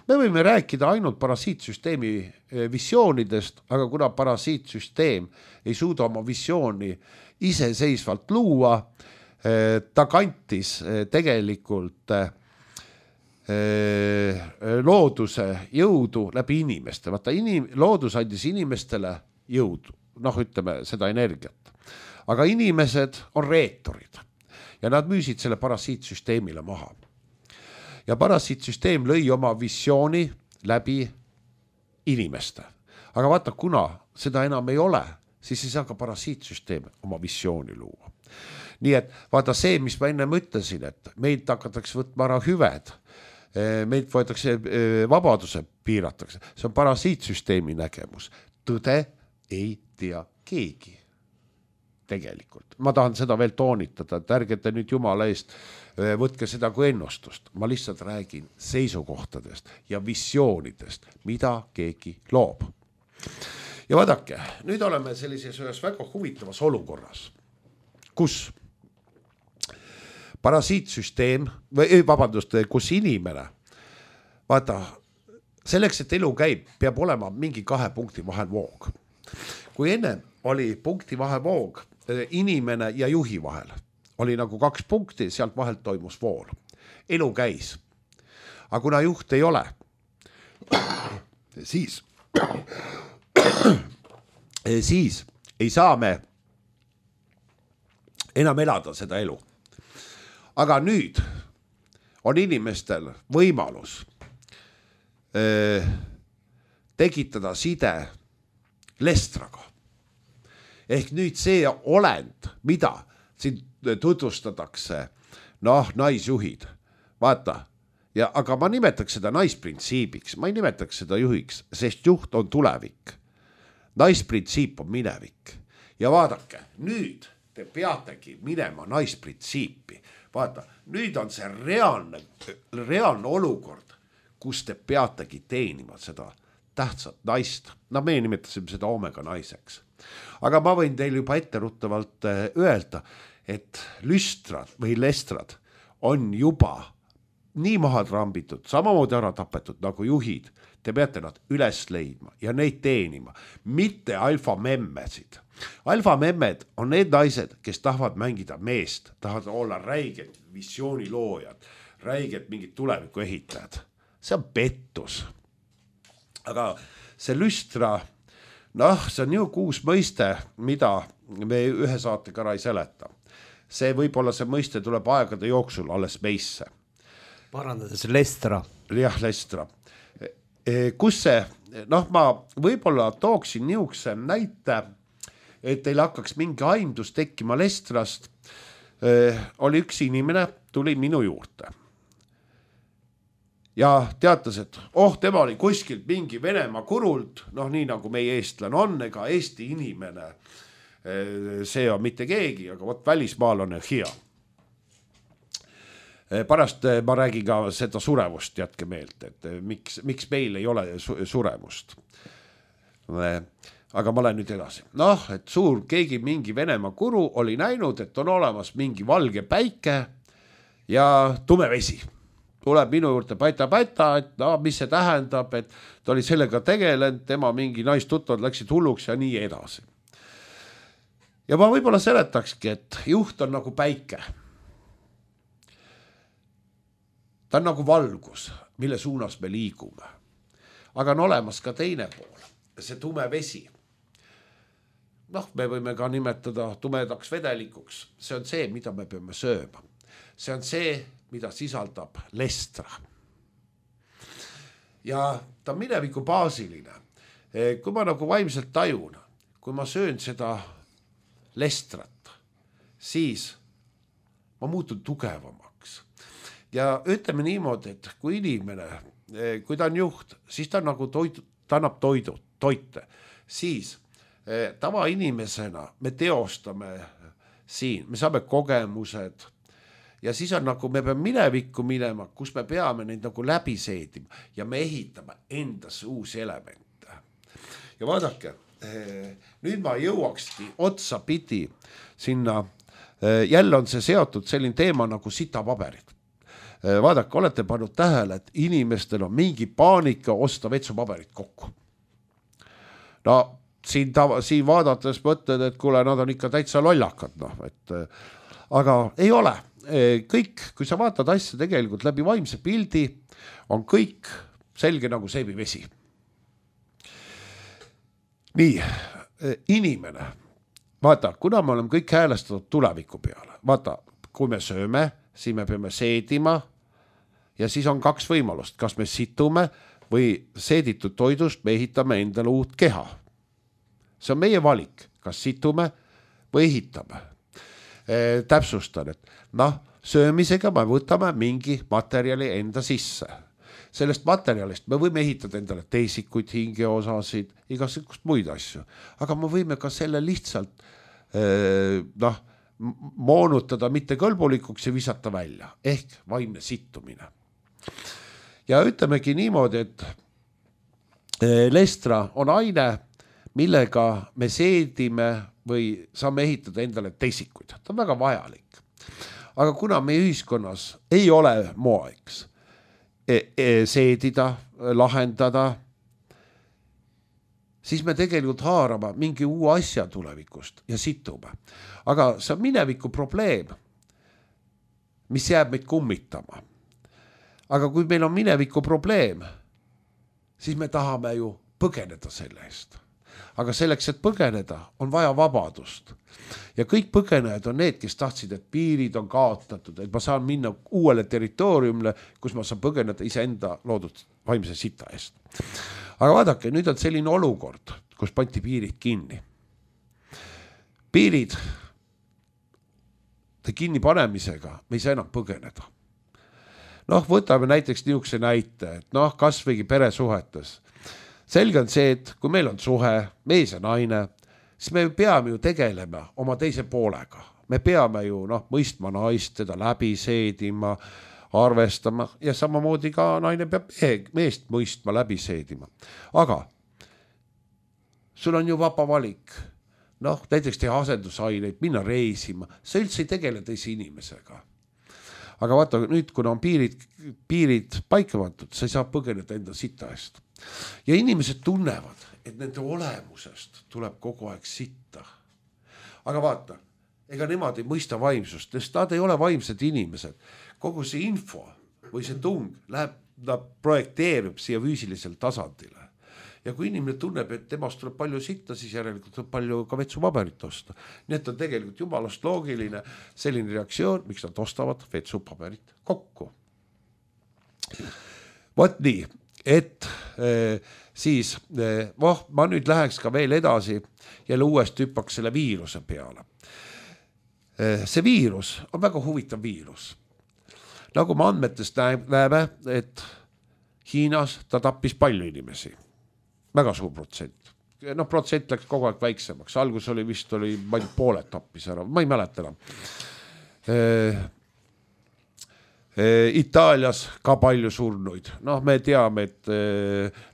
Me võime rääkida ainult parasiitsüsteemi visioonidest, aga kuna parasiitsüsteem ei suuda oma visiooni iseseisvalt luua, ta kantis tegelikult looduse jõudu läbi inimeste. Vaata, loodus andis inimestele jõudu, ütleme seda energiat. Aga inimesed on reetorid ja nad müüsid selle parasiitsüsteemile maha. Ja parasiitsüsteem lõi oma visiooni läbi inimeste. Aga vaata, kuna seda enam ei ole, siis ei saa ka parasiitsüsteem oma visiooni luua. Nii et vaata see, mis ma enne ütlesin, et meilt hakatakse võtma ära hüved, meilt võetakse vabaduse piiratakse, see on parasiitsüsteemi nägemus. Tõde ei tea keegi. Tegelikult. Ma tahan seda veel toonitada, et ärgete nüüd jumala eest võtke seda kui ennustust. Ma lihtsalt räägin seisukohtadest ja visioonidest, mida keegi loob. Ja vaadake, nüüd oleme sellises ühes väga huvitavas olukorras, kus parasiitsüsteem, kus inimene, vaata, selleks, et elu käib, peab olema mingi 2 punkti vahel voog. Kui enne oli punkti vahel voog, inimene ja juhi vahel oli nagu 2 punkti, sealt vahelt toimus vool. Elu käis. Aga kuna juht ei ole, siis ei saa me enam elada seda elu. Aga nüüd on inimestel võimalus tekitada side lestraga. Ehk nüüd see olend, mida siin tutvustatakse, naisjuhid, vaata, aga ma nimetaks seda naisprintsiibiks, ma ei nimetaks seda juhiks, sest juht on tulevik. Naisprintsiip on minevik. Ja vaadake, nüüd te peategi minema naisprintsiipi. Vaata, nüüd on see reaalne olukord, kus te peategi teenima seda tähtsat naist. Me nimetasime seda omega naiseks. Aga ma võin teile juba etteruttavalt öelda, et lüstrad või lestrad on juba nii maha trambitud, samamoodi ära tapetud nagu juhid. Te peate nad üles leidma ja neid teenima, mitte alfamemmesid. Alfamemmed on need naised, kes tahavad mängida meest, tahavad olla räiged visiooniloojad, räiged mingid tuleviku ehitajad. See on pettus. Aga see lüstra, see on ju uus mõiste, mida me ühe saatega ära ei seleta. See võib-olla see mõiste tuleb aegade jooksul alles meisse. Parandades lestra. Jah, lestra. Kus see, ma võib-olla tooksin niisuguse näite, et teil hakkaks mingi aimdus tekkima lestrast. Oli üks inimene, tuli minu juurde. Ja teatas, et tema oli kuskilt mingi Venemaa kurult, nii nagu meie eestlane on, ega Eesti inimene, see on mitte keegi, aga välismaal on hea. Pärast ma räägin ka seda surevust, jätke meelt, et miks meil ei ole surevust. aga ma lähen nüüd edasi. Noh, et keegi mingi Venemaa guru oli näinud, et on olemas mingi valge päike ja tume vesi. Tuleb minu juurde päta, et no, mis see tähendab, et ta oli sellega tegelenud, tema mingi naistuttavad läksid hulluks ja nii edasi. Ja ma võib-olla seletakski, et juht on nagu päike. Ta on nagu valgus, mille suunas me liigume. Aga on olemas ka teine pool, see tume vesi. Noh, me võime ka nimetada tumedaks vedelikuks. See on see, mida me peame sööma. See on see, mida sisaldab lestra. Ja ta on mineviku baasiline. Kui ma nagu vaimselt tajun, kui ma söön seda lestrat, siis ma muutun tugevamaks. Ja ütleme niimoodi, et kui inimene, kui ta on juht, siis ta nagu ta annab toite, siis tavainimesena me teostame siin, me saame kogemused ja siis on nagu me peame minevikku minema, kus me peame neid nagu läbi seedima ja me ehitame endasse uusi elemente. Ja vaadake, nüüd ma jõuakski otsapidi sinna, jälle on see seotud selline teema nagu sitapaberid. Vaadake, olete pannud tähele, et inimestel on mingi paanika osta vetsupaberit kokku. No siin vaadates mõtled, et kuule, nad on ikka täitsa lollakad. No, aga ei ole. Kõik, kui sa vaatad asja tegelikult läbi vaimse pildi, on kõik selge nagu seebivesi. Nii, inimene, vaata, kuna me oleme kõik häälestatud tuleviku peale, vaata, kui me sööme, siis me peame seedima ja siis on kaks võimalust, kas me situme või seeditud toidust me ehitame endale uut keha. See on meie valik, kas situme või ehitame. Täpsustan, et söömisega me võtame mingi materjali enda sisse. Sellest materjalist me võime ehitada endale teisikuid, hingeosasid, igasugust muid asju, aga me võime ka selle lihtsalt moonutada mitte kõlbulikuks ja visata välja, ehk vaimne sittumine. Ja ütlemegi niimoodi, et lestra on aine, millega me seedime või saame ehitada endale teisikuid. Ta on väga vajalik. Aga kuna meie ühiskonnas ei ole moeks seedida, lahendada, siis me tegelikult haarame mingi uue asja tulevikust ja situme. Aga see on mineviku probleem, mis jääb meid kummitama. Aga kui meil on mineviku probleem, siis me tahame ju põgeneda selle eest. Aga selleks, et põgeneda, on vaja vabadust. Ja kõik põgenejad on need, kes tahtsid, et piirid on kaotatud, et ma saan minna uuele territooriumile, kus ma saan põgeneda iseenda loodud vaimse sita eest. Aga vaadake, nüüd on selline olukord, kus pandi piirid kinni. Piirid kinni panemisega me ei saa enam põgeneda. Võtame näiteks niisuguse näite, et kas võigi peresuhetes. Selge on see, et kui meil on suhe, mees ja naine, siis me peame ju tegelema oma teise poolega. Me peame ju mõistma naist, teda läbi seedima, arvestama ja samamoodi ka naine peab meest mõistma, läbi seedima. Aga sul on ju vaba valik. Näiteks teha asendusaineid, minna reisima. Sa üldse ei tegele teise inimesega. Aga vaata, nüüd kuna on piirid paika pandud, sa ei saa põgeneda enda sita eest. Ja inimesed tunnevad, et nende olemusest tuleb kogu aeg sitta. Aga vaata, ega nemad ei mõista vaimsust, sest nad ei ole vaimsed inimesed. Kogu see info või see tung projekteerib siia füüsilisel tasandile. Ja kui inimene tunneb, et temast tuleb palju sitta, siis järelikult tuleb palju ka vetsupaberit osta. Nii et on tegelikult jumalast loogiline selline reaktsioon, miks nad ostavad vetsupaberit kokku. Vot nii, et siis ma nüüd läheks ka veel edasi ja uuesti hüppaks selle viiruse peale. See viirus on väga huvitav viirus. Nagu me andmetest näeme, et Hiinas ta tappis palju inimesi. Väga suur protsent. Protsent läks kogu aeg väiksemaks. Algus oli vist pooled tappis ära. Ma ei mäleta enam. Itaalias ka palju surnuid. Noh, me teame, et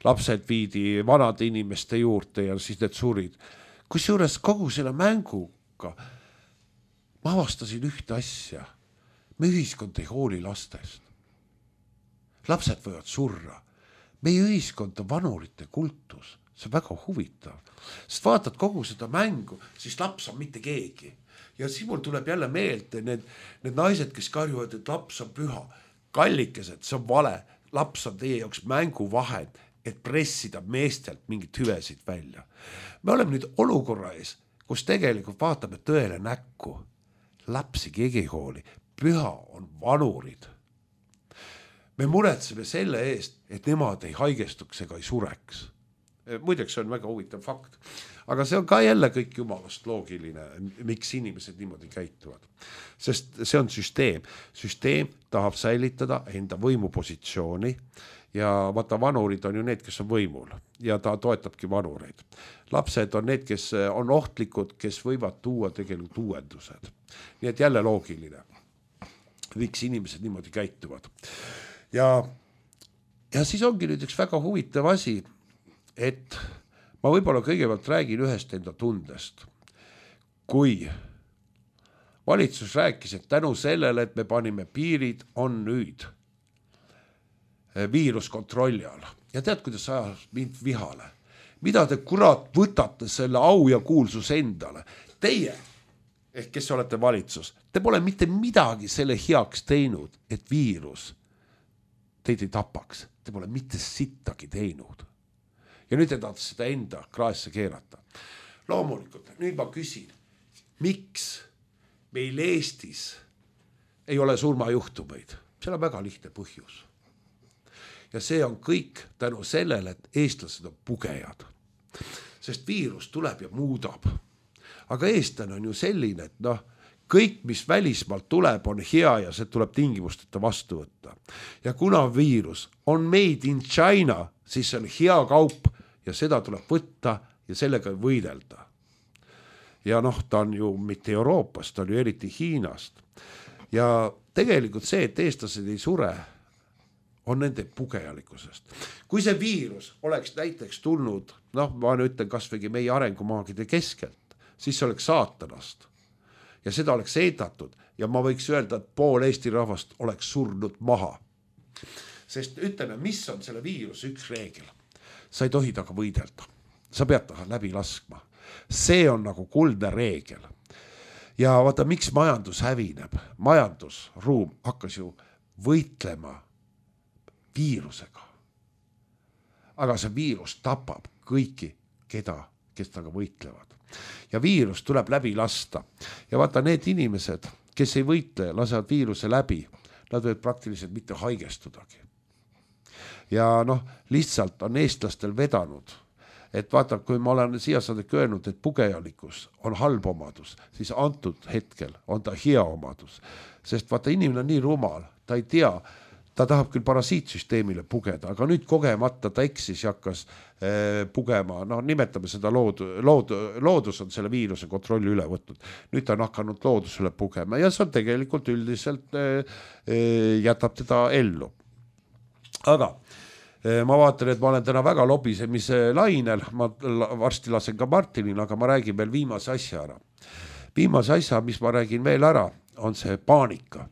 lapsed viidi vanade inimeste juurde ja siis need surid. Kusjuures kogu selle mänguga ma avastasin ühte asja. Me ühiskond ei hooli lastest. Lapsed võivad surra. Meie ühiskond on vanurite kultus. See on väga huvitav. Sest vaatad kogu seda mängu, siis laps on mitte keegi. Ja siis mul tuleb jälle meelde need naised, kes karjuvad, et laps on püha. Kallikesed, see on vale. Laps on teie jaoks mänguvahend, et pressida meestelt mingit hüvesid välja. Me oleme nüüd olukorra ees, kus tegelikult vaatame tõele näkku. Lapsi keegi ei hooli. Püha on vanurid. Me muretseme selle eest, et nemad ei haigestuks ega ei sureks. Muideks see on väga huvitav fakt. Aga see on ka jälle kõik jumalast loogiline, miks inimesed niimoodi käituvad. Sest see on süsteem. Süsteem tahab säilitada enda võimupositsiooni ja vaata vanurid on ju need, kes on võimul ja ta toetabki vanureid. Lapsed on need, kes on ohtlikud, kes võivad tuua tegelikult uuendused. Nii et jälle loogiline, miks inimesed niimoodi käituvad. Ja siis ongi nüüd üks väga huvitav asi, et ma võib-olla kõigepealt räägin ühest enda tundest. Kui valitsus rääkis, et tänu sellele, et me panime piirid, on nüüd viirus kontrolli all. Ja tead, kuidas ajas mind vihale? Mida te kurat võtate selle au ja kuulsus endale? Teie, ehk kes olete valitsus, te pole mitte midagi selle heaks teinud, et viirus teid ei tapaks. Te pole mitte sittagi teinud. Ja nüüd te tahate seda enda kraesse keerata. Loomulikult, nüüd ma küsin, miks meil Eestis ei ole surmajuhtumeid? Seal on väga lihtne põhjus. Ja see on kõik tänu sellele, et eestlased on pugejad. Sest viirus tuleb ja muudab. Aga eestlane on ju selline, et kõik, mis välismaalt tuleb, on hea ja see tuleb tingimusteta vastu võtta. Ja kuna viirus on made in China, siis see on hea kaup ja seda tuleb võtta ja sellega võidelda. Ja ta on ju mitte Euroopast, ta on ju eriti Hiinast. Ja tegelikult see, et eestlased ei sure, on nende pugejalikkusest. Kui see viirus oleks näiteks tulnud, ma ütlen kasvõi meie arengumaagide keskelt, siis see oleks saatanast. Ja seda oleks eetatud ja ma võiks öelda, et pool Eesti rahvast oleks surnud maha. Sest ütleme, mis on selle viiruse üks reegel? Sa ei tohi taga võidelda. Sa pead taga läbi laskma. See on nagu kuldne reegel. Ja vaata, miks majandus hävineb? Majandusruum hakkas ju võitlema viirusega. Aga see viirus tapab kõiki, kes taga võitlevad. Ja viirus tuleb läbi lasta. Ja vaata, need inimesed, kes ei võitle, lasevad viiruse läbi, nad võivad praktiliselt mitte haigestudagi. Ja lihtsalt on eestlastel vedanud, et vaata, kui ma olen siia saadek öelnud, et pugejalikkus on halb omadus, siis antud hetkel on ta hea omadus. Sest vaata, inimene on nii rumal, ta ei tea, ta tahab küll parasiitsüsteemile pugeda, aga nüüd kogemata ta eksis ja hakkas pugema, nimetame seda loodus on selle viiruse kontrolli üle võtnud. Nüüd ta on hakanud loodusele pugema ja see on tegelikult üldiselt jätab teda ellu. Aga ma vaatan, et ma olen täna väga lobisemise lainel, ma varsti lasen ka Martinil, aga ma räägin veel viimase asja ära. Viimase asja, mis ma räägin veel ära, on see paanika.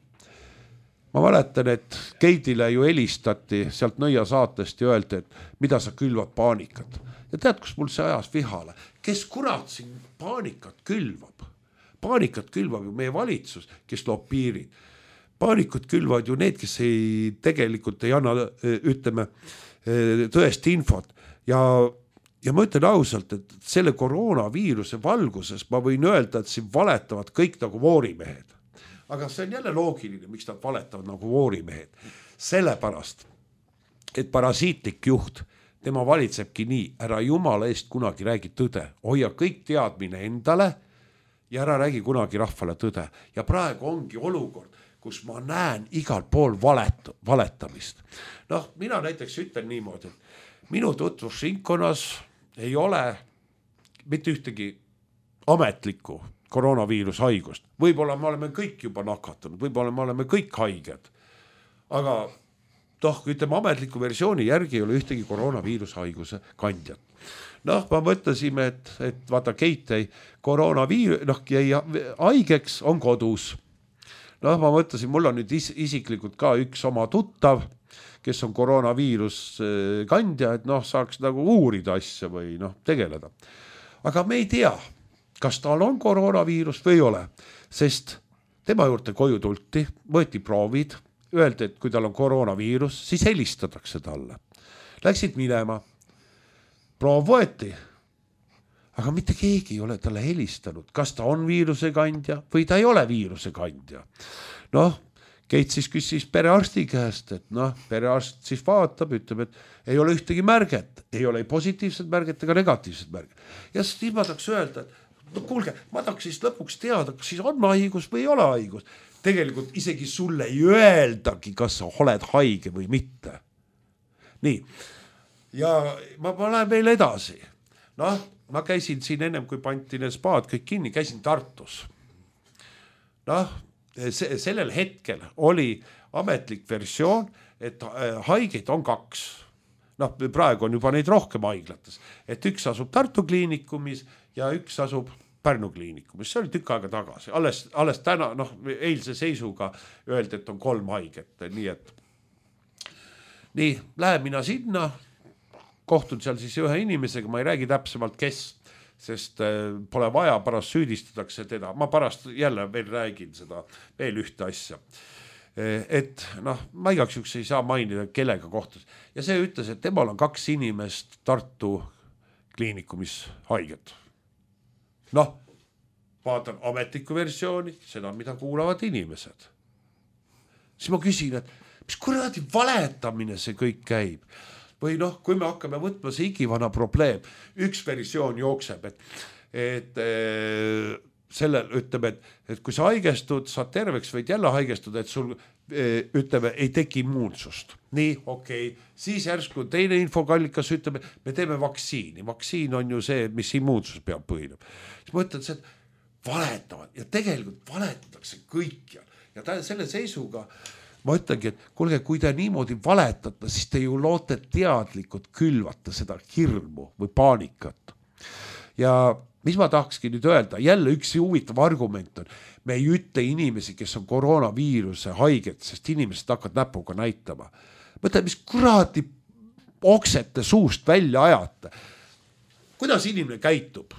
Ma mäletan, et Keidile ju helistati sealt Nõia saatest ja öeldi, et mida sa külvad paanikat. Ja tead, kus mul see ajas vihale? Kes kurat siin paanikat külvab? Paanikat külvab ju meie valitsus, kes loob piirid. Paanikud külvad ju need, kes tegelikult ei anna, ütleme, tõest infot. Ja ma ütlen ausalt, et selle koroonaviiruse valguses ma võin öelda, et siin valetavad kõik nagu voorimehed. Aga see on jälle loogiline, miks nad valetavad nagu voorimehed. Sellepärast, et parasiitlik juht, tema valitsebki nii, ära jumala eest kunagi räägi tõde. Hoia kõik teadmine endale ja ära räägi kunagi rahvale tõde. Ja praegu ongi olukord, kus ma näen igal pool valetamist. Mina näiteks ütlen niimoodi, et minu tutvusringkonnas ei ole mitte ühtegi ametlikku koroonaviirushaigust. Võib-olla me oleme kõik juba nakatunud, võib-olla me oleme kõik haiged. aga ütleme ametliku versiooni järgi ei ole ühtegi koroonaviirushaiguse kandjat. Ma mõtlesime, et vaata Keit jäi jäi haigeks, on kodus. Ma mõtlesin, mul on nüüd isiklikult ka üks oma tuttav, kes on koroonaviirus kandja, et saaks nagu uurida asja või tegeleda. Aga me ei tea, kas tal on koroonaviirus või ei ole, sest tema juurde koju tulti, võeti proovid, öeldi, et kui tal on koroonaviirus, siis helistatakse talle. Läksid minema, proov võeti, aga mitte keegi ei ole talle helistanud, kas ta on viiruse kandja või ta ei ole viiruse kandja. Keit siis küsis perearsti käest, et perearst siis vaatab, ütleb, et ei ole ühtegi märget, ei ole positiivset märget ega negatiivset märget. Ja siis ma tahaks öelda, et kuulge, ma tahaks siis lõpuks teada, kas siis on haigus või ei ole haigus. Tegelikult isegi sulle ei öeldagi, kas sa oled haige või mitte. Nii, ja ma lähen veel edasi. Ma käisin siin ennem, kui panti need spaad kõik kinni, käisin Tartus. Sellel hetkel oli ametlik versioon, et haigeid on 2. Praegu on juba neid rohkem haiglates, et üks asub Tartu kliinikumis ja üks asub Pärnu kliinikumis. See oli tükk aega tagasi. Alles täna, eilse seisuga öeldi, et on 3 haiget. Nii, lähen mina sinna, kohtun seal siis ühe inimesega, ma ei räägi täpsemalt kes, sest pole vaja, pärast süüdistatakse teda. Ma pärast jälle veel räägin seda veel ühte asja. Et ma igaks juks ei saa mainida, kellega kohtus. Ja see ütles, et temal on 2 inimest Tartu kliinikumis haiget. Vaatan ametlikku versiooni, seda, mida kuulavad inimesed. Siis ma küsin, et mis kuradi valetamine see kõik käib? Või kui me hakkame võtma see igivana probleem, üks versioon jookseb, et sellel ütleb, et kui sa haigestud, saad terveks, võid jälle haigestuda, et sul ütleme, ei teki immuunsust. Nii, okei. Siis järsku teine infokallikas ütleb, me teeme vaktsiini. Vaktsiin on ju see, mis immuunsus peab põhineb. Siis ma ütlen, et valetavad ja tegelikult valetatakse kõik. Ja selle seisuga ma ütlengi, et kuulge, kui te niimoodi valetate, siis te ju loote teadlikult külvata seda hirmu või paanikat. Ja mis ma tahakski nüüd öelda, jälle üks huvitav argument on, me ei ütle inimesi, kes on koroonaviiruse haiget, sest inimesed hakkavad näpuga näitama. Mõtle, mis kuradi oksete suust välja ajate. Kuidas inimene käitub?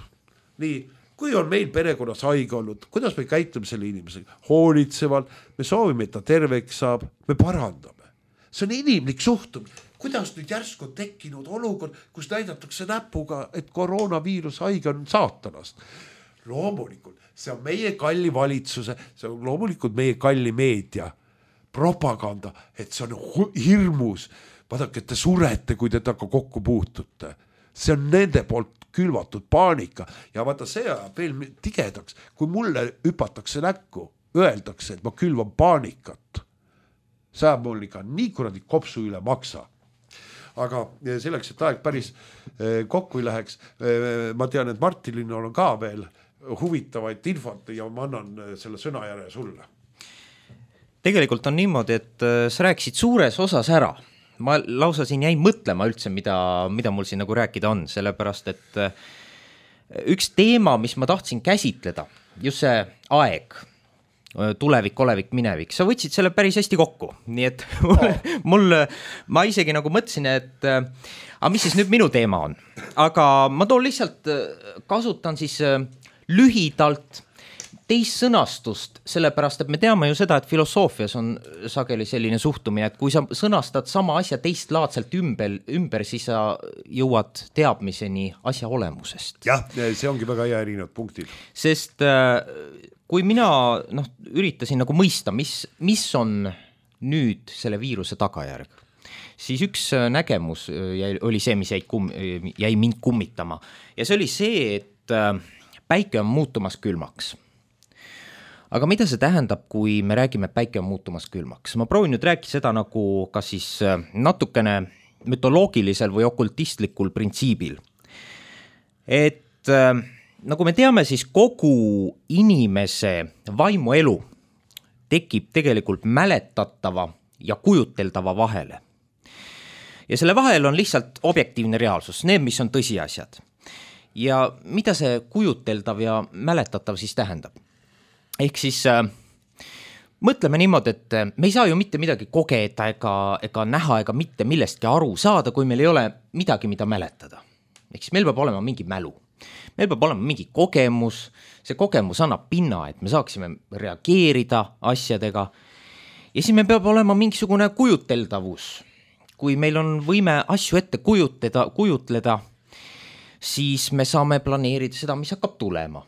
Nii, kui on meil perekonnas haige olnud, kuidas me käitume selle inimesega? Hoolitsevalt, me soovime, et ta terveks saab, me parandame. See on inimlik suhtum. Kuidas nüüd järsku on tekkinud olukord, kus näidatakse näpuga, et koroonaviirus haige on saatanast? Loomulikult, see on meie kalli valitsuse, see on loomulikult meie kalli meedia propaganda, et see on hirmus. Vaadake, et te surete, kui te temaga kokku puutute. See on nende poolt külvatud paanika ja vaata see ajab veel tigedaks, kui mulle hüpatakse näkku, öeldakse, et ma külvan paanikat. See ajab mul ikka nii kuradi kopsu üle maksa. Aga selleks, et aeg päris kokku ei läheks, ma tean, et Martinil on ka veel huvitavaid infot ja ma annan selle sõnajärje sulle. Tegelikult on niimoodi, et sa rääkisid suures osas ära. Ma lausa siin jäin mõtlema üldse, mida mul siin nagu rääkida on, sellepärast, et üks teema, mis ma tahtsin käsitleda, just see aeg, tulevik, olevik, minevik, sa võtsid selle päris hästi kokku, nii et ma isegi nagu mõtlesin, et mis siis nüüd minu teema on, aga ma toon lihtsalt, kasutan siis lühidalt teist sõnastust, sellepärast, et me teame ju seda, et filosoofias on sageli selline suhtumine, et kui sa sõnastad sama asja teistlaadselt ümber, siis sa jõuad teadmiseni asja olemusest. Jah, see ongi väga hea erinevad punktid. Sest kui mina üritasin nagu mõista, mis on nüüd selle viiruse tagajärg, siis üks nägemus oli see, mis jäi mind kummitama. Ja see oli see, et päike on muutumas külmaks. Aga mida see tähendab, kui me räägime, et päike on muutumas külmaks? Ma proovin nüüd rääkida seda nagu kas siis natukene mütoloogilisel või okultistlikul printsiibil. Et nagu me teame, siis kogu inimese vaimuelu tekib tegelikult mäletatava ja kujuteldava vahele. Ja selle vahel on lihtsalt objektiivne reaalsus, need, mis on tõsiasjad. Ja mida see kujuteldav ja mäletatav siis tähendab? Ehk siis mõtleme niimoodi, et me ei saa ju mitte midagi kogeda ega näha ega mitte millestki aru saada, kui meil ei ole midagi, mida mäletada. Ehk siis meil peab olema mingi mälu. Meil peab olema mingi kogemus, see kogemus annab pinna, et me saaksime reageerida asjadega ja siis meil peab olema mingisugune kujuteldavus. Kui meil on võime asju ette kujutleda, siis me saame planeerida seda, mis hakkab tulema.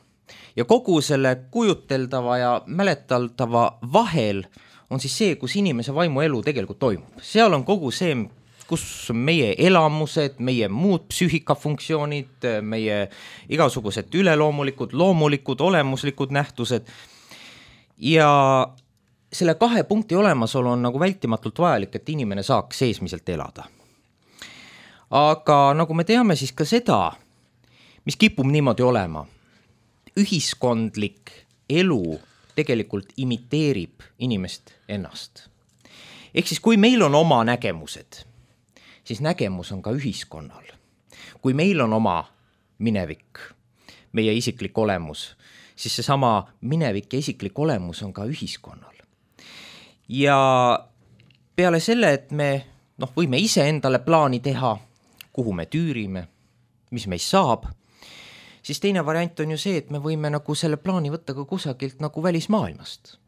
Ja kogu selle kujuteldava ja mäletaldava vahel on siis see, kus inimese vaimuelu tegelikult toimub. Seal on kogu see, kus meie elamused, meie muud psüühikafunktsioonid, meie igasugused üleloomulikud, loomulikud, olemuslikud nähtused. Ja selle 2 punkti olemasolu on nagu vältimatult vajalik, et inimene saaks seesmiselt elada. Aga nagu me teame siis ka seda, mis kipub niimoodi olema, ühiskondlik elu tegelikult imiteerib inimest ennast. Ehk siis kui meil on oma nägemused, siis nägemus on ka ühiskonnal. Kui meil on oma minevik, meie isiklik olemus, siis seesama minevik ja isiklik olemus on ka ühiskonnal. Ja peale selle, et me võime ise endale plaani teha, kuhu me tüürime, mis meist saab, siis teine variant on ju see, et me võime nagu selle plaani võtta ka kusagilt nagu välismaailmast.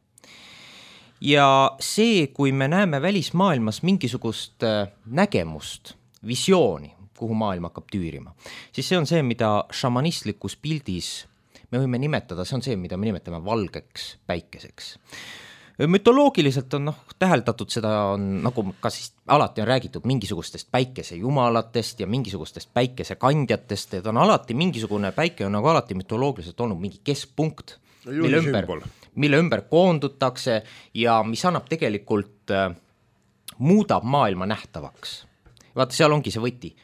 Ja see, kui me näeme välismaailmas mingisugust nägemust, visiooni, kuhu maailm hakkab tüürima, siis see on see, mida šamanistlikus pildis me võime nimetada, see on see, mida me nimetame valgeks päikeseks. Mütoloogiliselt on täheldatud seda, nagu ka siis alati on räägitud mingisugustest päikesejumalatest ja mingisugustest päikesekandjatest, et on alati mingisugune päike on nagu alati mütoloogiliselt olnud mingi keskpunkt, mille ümber koondutakse ja mis annab tegelikult, muudab maailma nähtavaks. Vaata, seal ongi see võti.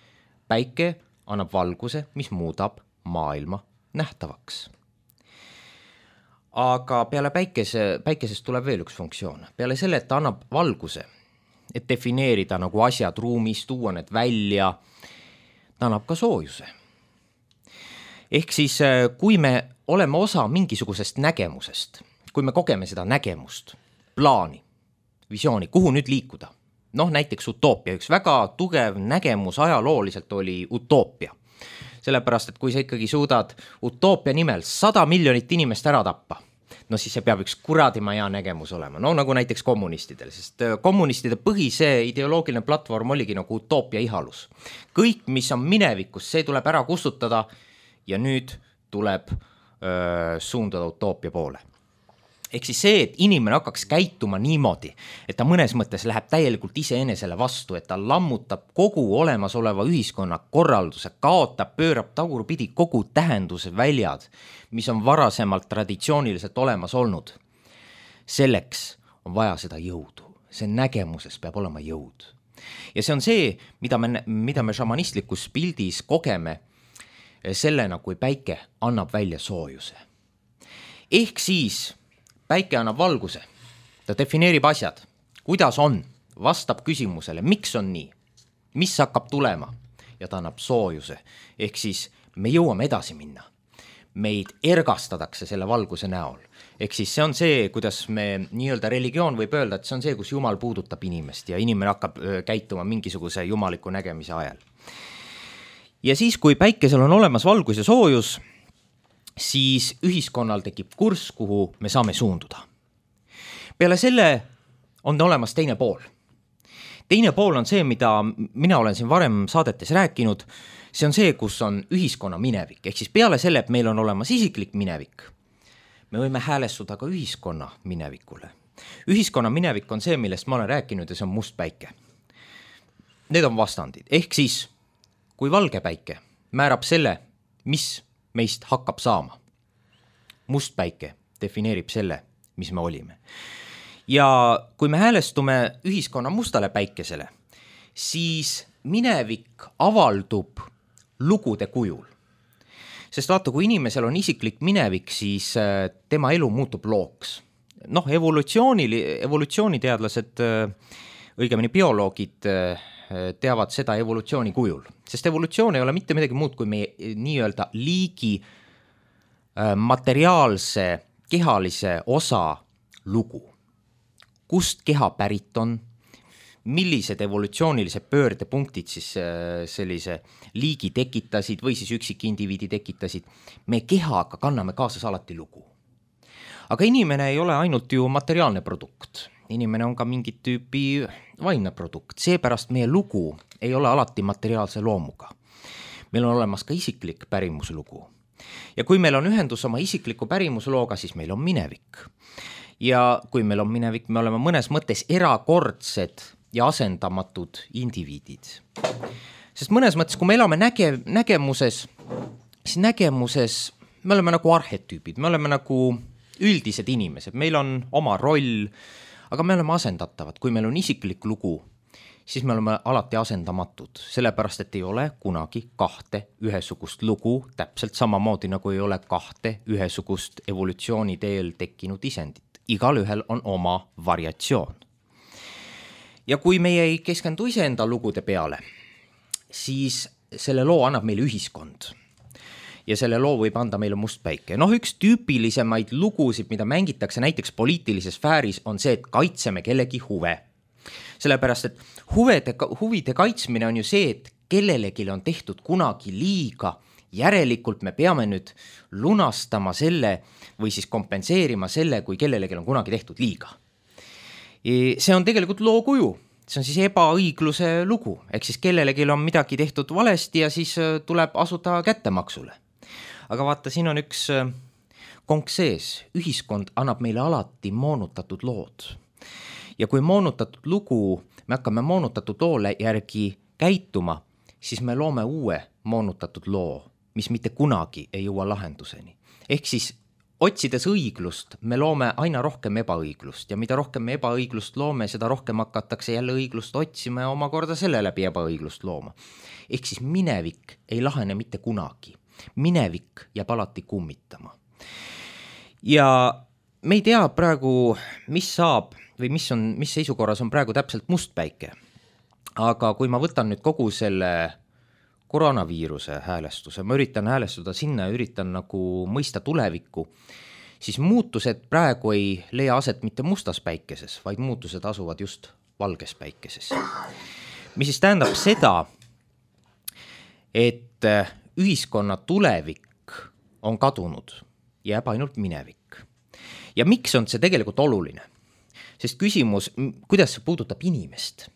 Päike annab valguse, mis muudab maailma nähtavaks. Aga peale päikesest tuleb veel üks funktsioon. Peale selle, et ta annab valguse, et defineerida nagu asjad ruumis, tuua need välja, ta annab ka soojuse. Ehk siis, kui me oleme osa mingisugusest nägemusest, kui me kogeme seda nägemust, plaani, visiooni, kuhu nüüd liikuda, näiteks utoopia, üks väga tugev nägemus ajalooliselt oli utoopia. Sellepärast, et kui sa ikkagi suudad utoopia nimel 100 miljonit inimest ära tappa, siis see peab üks kuradima hea nägemus olema. Nagu näiteks kommunistidel, sest kommunistide põhise ideoloogiline platvorm oligi nagu utoopia ihalus. Kõik, mis on minevikus, see tuleb ära kustutada ja nüüd tuleb suundada utoopia poole. Ehk siis see, et inimene hakkaks käituma niimoodi, et ta mõnes mõttes läheb täielikult iseenesele vastu, et ta lammutab kogu olemasoleva ühiskonna korralduse, kaotab, pöörab tagurpidi kogu tähenduse väljad, mis on varasemalt traditsiooniliselt olemas olnud. Selleks on vaja seda jõudu. See nägemuses peab olema jõud. Ja see on see, mida me šamanistlikus pildis kogeme sellena, kui päike annab välja soojuse. Ehk siis päike annab valguse, ta defineerib asjad, kuidas on, vastab küsimusele, miks on nii, mis hakkab tulema ja ta annab soojuse. Ehk siis me jõuame edasi minna. Meid ergastatakse selle valguse näol. Ehk siis see on see, kuidas me nii-öelda religioon võib öelda, et see on see, kus Jumal puudutab inimest ja inimene hakkab käituma mingisuguse jumaliku nägemise ajal. Ja siis, kui päikesel on olemas valgus ja soojus, siis ühiskonnal tekib kurss, kuhu me saame suunduda. Peale selle on olemas teine pool. Teine pool on see, mida mina olen siin varem saadetes rääkinud, see on see, kus on ühiskonna minevik. Ehk siis peale selle, et meil on olemas isiklik minevik, me võime häälestuda ka ühiskonna minevikule. Ühiskonna minevik on see, millest ma olen rääkinud ja see on must päike. Need on vastandid. Ehk siis, kui valge päike määrab selle, mis meist hakkab saama. Must päike defineerib selle, mis me olime. Ja kui me häälestume ühiskonna mustale päikesele, siis minevik avaldub lugude kujul. Sest vaata, kui inimesel on isiklik minevik, siis tema elu muutub looks. noh, evolutsiooniteadlased, õigemini bioloogid teavad seda evolutsiooni kujul, sest evolutsioon ei ole mitte midagi muud kui meie nii-öelda liigi materiaalse kehalise osa lugu. Kust keha pärit on, millised evolutsioonilised pöördepunktid siis sellise liigi tekitasid või siis üksikindiviidi tekitasid. Me kehaga kanname kaasas alati lugu. Aga inimene ei ole ainult ju materiaalne produkt. Inimene on ka mingit tüüpi vaimne produkt. Seepärast meie lugu ei ole alati materiaalse loomuga. Meil on olemas ka isiklik pärimuslugu. Ja kui meil on ühendus oma isikliku pärimuslooga, siis meil on minevik. Ja kui meil on minevik, me oleme mõnes mõttes erakordsed ja asendamatud indiviidid. Sest mõnes mõttes, kui me elame nägemuses, siis nägemuses me oleme nagu arhetüübid, me oleme nagu üldised inimesed, meil on oma roll, aga me oleme asendatavad. Kui meil on isiklik lugu, siis me oleme alati asendamatud, sellepärast et ei ole kunagi kahte ühesugust lugu, täpselt samamoodi nagu ei ole kahte ühesugust evolutsiooni teel tekkinud isendit. Igal ühel on oma variatsioon. Ja kui meie ei keskendu iseenda lugude peale, siis selle loo annab meile ühiskond. Ja selle loo võib anda meile must päike. Noh, üks tüüpilisemaid lugusid, mida mängitakse näiteks poliitilises sfääris, on see, et kaitseme kellegi huve. Sellepärast, et huvide kaitsmine on ju see, et kellelegi on tehtud kunagi liiga, järelikult me peame nüüd lunastama selle või siis kompenseerima selle, kui kellelegi on kunagi tehtud liiga. See on tegelikult loo kuju, see on siis ebaõigluse lugu, ehk siis kellelegi on midagi tehtud valesti ja siis tuleb asuda kättemaksule. Aga vaata, siin on üks konk sees, ühiskond annab meile alati moonutatud lood. Ja kui moonutatud lugu, me hakkame moonutatud loole järgi käituma, siis me loome uue moonutatud loo, mis mitte kunagi ei jõua lahenduseni. Ehk siis otsides õiglust, me loome aina rohkem ebaõiglust ja mida rohkem me ebaõiglust loome, seda rohkem hakatakse jälle õiglust otsima ja omakorda selle läbi ebaõiglust looma. Ehk siis minevik ei lahene mitte kunagi. Minevik jääb alati kummitama. Ja me ei tea praegu, mis saab või mis seisukorras on praegu täpselt must päike. Aga kui ma võtan nüüd kogu selle koroonaviiruse häälestuse, ma üritan häälestuda sinna ja üritan nagu mõista tulevikku, siis muutused praegu ei leia aset mitte mustas päikeses, vaid muutused asuvad just valges päikeses. Mis siis tähendab seda, et ühiskonna tulevik on kadunud, jääb ainult minevik. Ja miks on see tegelikult oluline? Sest küsimus, kuidas see puudutab inimest?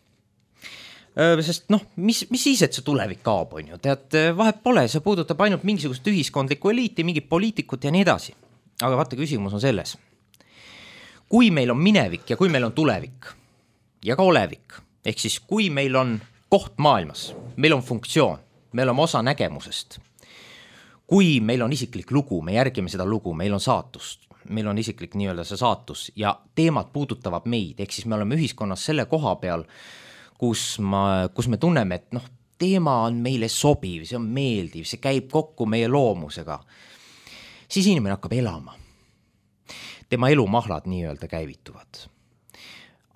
Sest noh, mis siis, et see tulevik kaob, on ju? Tead, vahet pole, see puudutab ainult mingisugust ühiskondlikku eliiti, mingit poliitikut ja nii edasi. Aga vaata, küsimus on selles. Kui meil on minevik ja kui meil on tulevik ja ka olevik, ehk siis kui meil on koht maailmas, meil on funktsioon, meil on osa nägemusest, kui meil on isiklik lugu, me järgime seda lugu, meil on saatust, meil on isiklik nii-öelda see saatus ja teemad puudutavad meid, ehk siis me oleme ühiskonnas selle koha peal, kus me tunneme, et noh, teema on meile sobiv, see on meeldiv, see käib kokku meie loomusega, siis inimene hakkab elama. Tema elumahlad nii-öelda käivituvad.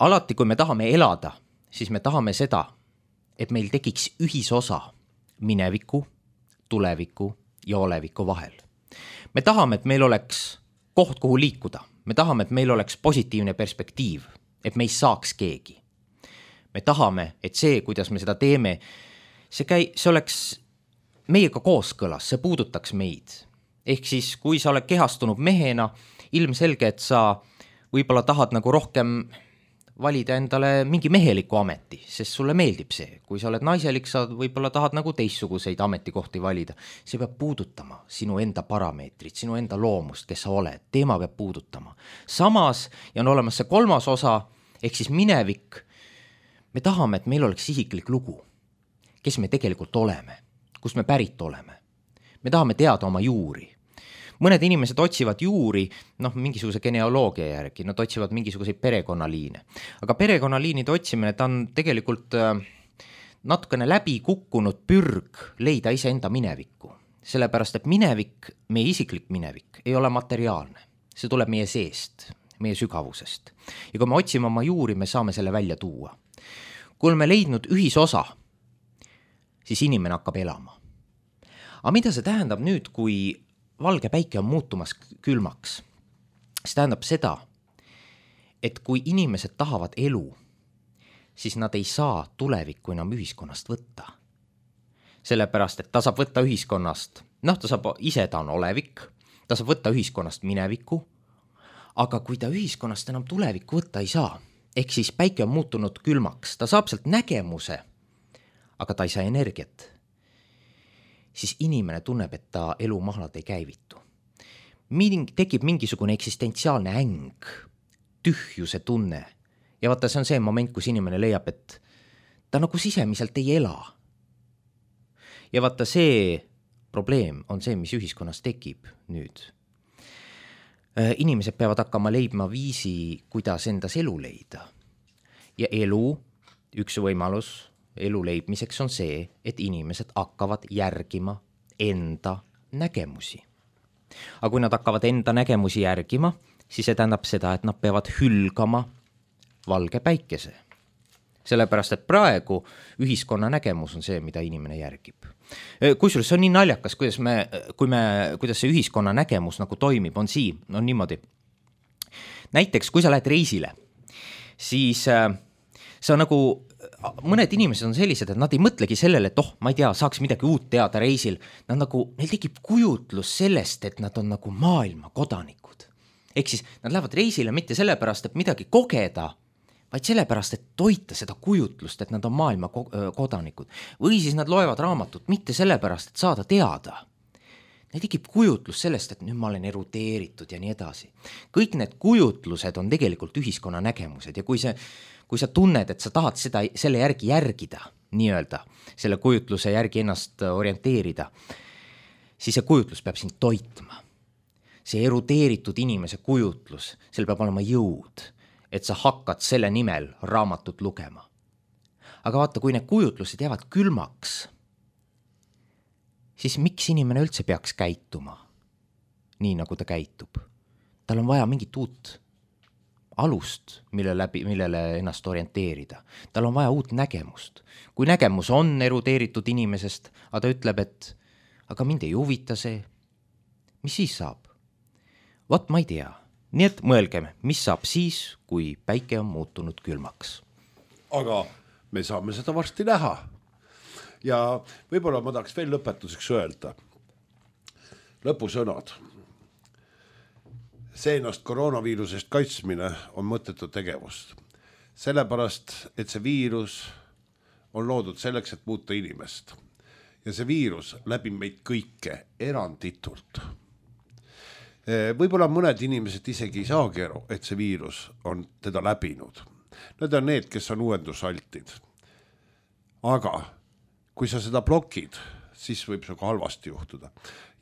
Alati, kui me tahame elada, siis me tahame seda, et meil tekiks ühisosa mineviku, tuleviku ja oleviku vahel. Me tahame, et meil oleks koht, kuhu liikuda. Me tahame, et meil oleks positiivne perspektiiv, et me ei saaks keegi. Me tahame, et see, kuidas me seda teeme, see oleks meiega kooskõlas, see puudutaks meid. Ehk siis, kui sa oled kehastunud mehena, ilmselge, et sa võib-olla tahad nagu rohkem valida endale mingi meheliku ameti, sest sulle meeldib see. Kui sa oled naiselik, sa võib-olla tahad nagu teistsuguseid ametikohti valida. See peab puudutama sinu enda parameetrit, sinu enda loomust, kes sa oled. Teema peab puudutama. Samas, ja on olemas see kolmas osa, ehk siis minevik. Me tahame, et meil oleks isiklik lugu, kes me tegelikult oleme, kus me pärit oleme. Me tahame teada oma juuri. Mõned inimesed otsivad juuri, mingisuguse genealoogia järgi, nad otsivad mingisuguseid perekonnaliine. Aga perekonnaliinide otsimine, ta on tegelikult natukene läbi kukkunud pürg leida iseenda minevikku. Sellepärast, et minevik, meie isiklik minevik, ei ole materiaalne. See tuleb meie seest. meie sügavusest. Ja kui me otsime oma juuri, me saame selle välja tuua. Kui oleme leidnud ühisosa, siis inimene hakkab elama. Aga mida see tähendab nüüd, kui valge päike on muutumas külmaks? See tähendab seda, et kui inimesed tahavad elu, siis nad ei saa tulevikku enam ühiskonnast võtta. Sellepärast, et ta saab võtta ühiskonnast, ta saab ise, ta on olevik, ta saab võtta ühiskonnast minevikku, aga kui ta ühiskonnast enam tulevikku võtta ei saa, ehk siis päike on muutunud külmaks, ta saab sealt nägemuse, aga ta ei saa energiat, siis inimene tunneb, et ta elu mahlad ei käivitu. Tekib mingisugune eksistentsiaalne äng, tühjuse tunne. Ja vaata, see on see moment, kus inimene leiab, et ta nagu sisemiselt ei ela. Ja vaata, see probleem on see, mis ühiskonnas tekib nüüd. Inimesed peavad hakkama leidma viisi, kuidas endas elu leida. Ja elu, üks võimalus elu leidmiseks on see, et inimesed hakkavad järgima enda nägemusi. Aga kui nad hakkavad enda nägemusi järgima, siis see tähendab seda, et nad peavad hülgama valge päikese. Sellepärast, et praegu ühiskonna nägemus on see, mida inimene järgib. Kusjuures see on nii naljakas, kuidas see ühiskonna nägemus nagu toimib, on niimoodi. Näiteks, kui sa lähed reisile, siis see on nagu, mõned inimesed on sellised, et nad ei mõtlegi sellele, et ma ei tea, saaks midagi uut teada reisil. Neil tekib kujutlus sellest, et nad on nagu maailma kodanikud. Ehk siis nad lähevad reisile mitte sellepärast, et midagi kogeda, vaid sellepärast, et toita seda kujutlust, et nad on maailma kodanikud. Või siis nad loevad raamatut mitte sellepärast, et saada teada. Neil tekib kujutlus sellest, et nüüd ma olen erudeeritud ja nii edasi. Kõik need kujutlused on tegelikult ühiskonna nägemused ja kui sa tunned, et sa tahad selle järgi järgida, nii-öelda, selle kujutluse järgi ennast orienteerida, siis see kujutlus peab sind toitma. See erudeeritud inimese kujutlus, seal peab olema jõud, et sa hakkad selle nimel raamatut lugema. Aga vaata, kui need kujutlused jäävad külmaks, siis miks inimene üldse peaks käituma nii, nagu ta käitub? Tal on vaja mingit uut alust, millele ennast orienteerida. Tal on vaja uut nägemust. Kui nägemus on erudeeritud inimesest, aga ta ütleb, et aga mind ei huvita see, mis siis saab? Vot ma ei tea. Nii et mõelgeme, mis saab siis, kui päike on muutunud külmaks. Aga me saame seda varsti näha. Ja võib-olla ma tahaks veel lõpetuseks öelda. Lõpusõnad. See ennast koroonaviirusest kaitsmine on mõttetu tegevust. Sellepärast, et see viirus on loodud selleks, et muuta inimest. Ja see viirus läbib meid kõike eranditult. Võib-olla mõned inimesed isegi ei saagi aru, et see viirus on teda läbinud. Need on need, kes on uuendusaltid. Aga kui sa seda blokid, siis võib see ka halvasti juhtuda.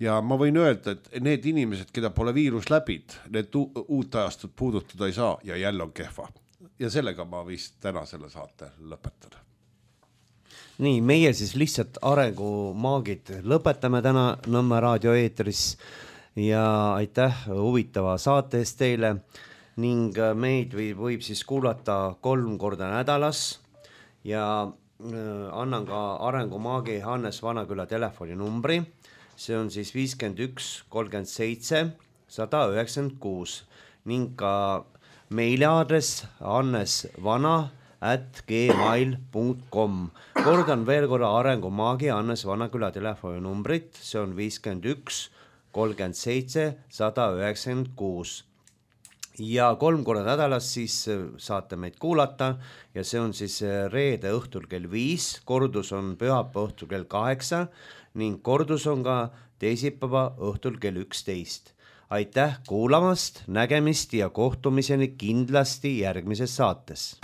Ja ma võin öelda, et need inimesed, keda pole viirus läbid, need uut ajastut puudutada ei saa ja jälle on kehva. Ja sellega ma vist täna selle saate lõpetan. Nii, meie siis lihtsalt arengumaagid lõpetame täna Nõmme raadio eetris. Ja aitäh huvitava saate eest teile ning meid võib siis kuulata 3 korda nädalas ja annan ka arengumaagi Hannes Vanaküla telefoninumbri. See on siis 51 37 196 ning ka meiliaadress hannesvana@gmail.com. Kordan veel korra arengumaagi Hannes Vanaküla telefoninumbrit. See on 51 37 196 ja 3 korda nädalas siis saate meid kuulata ja see on siis reede õhtul kell 5, kordus on pühapäeva õhtul kell 8 ning kordus on ka teisipäeva õhtul kell 11. Aitäh kuulamast, nägemist ja kohtumiseni kindlasti järgmises saates.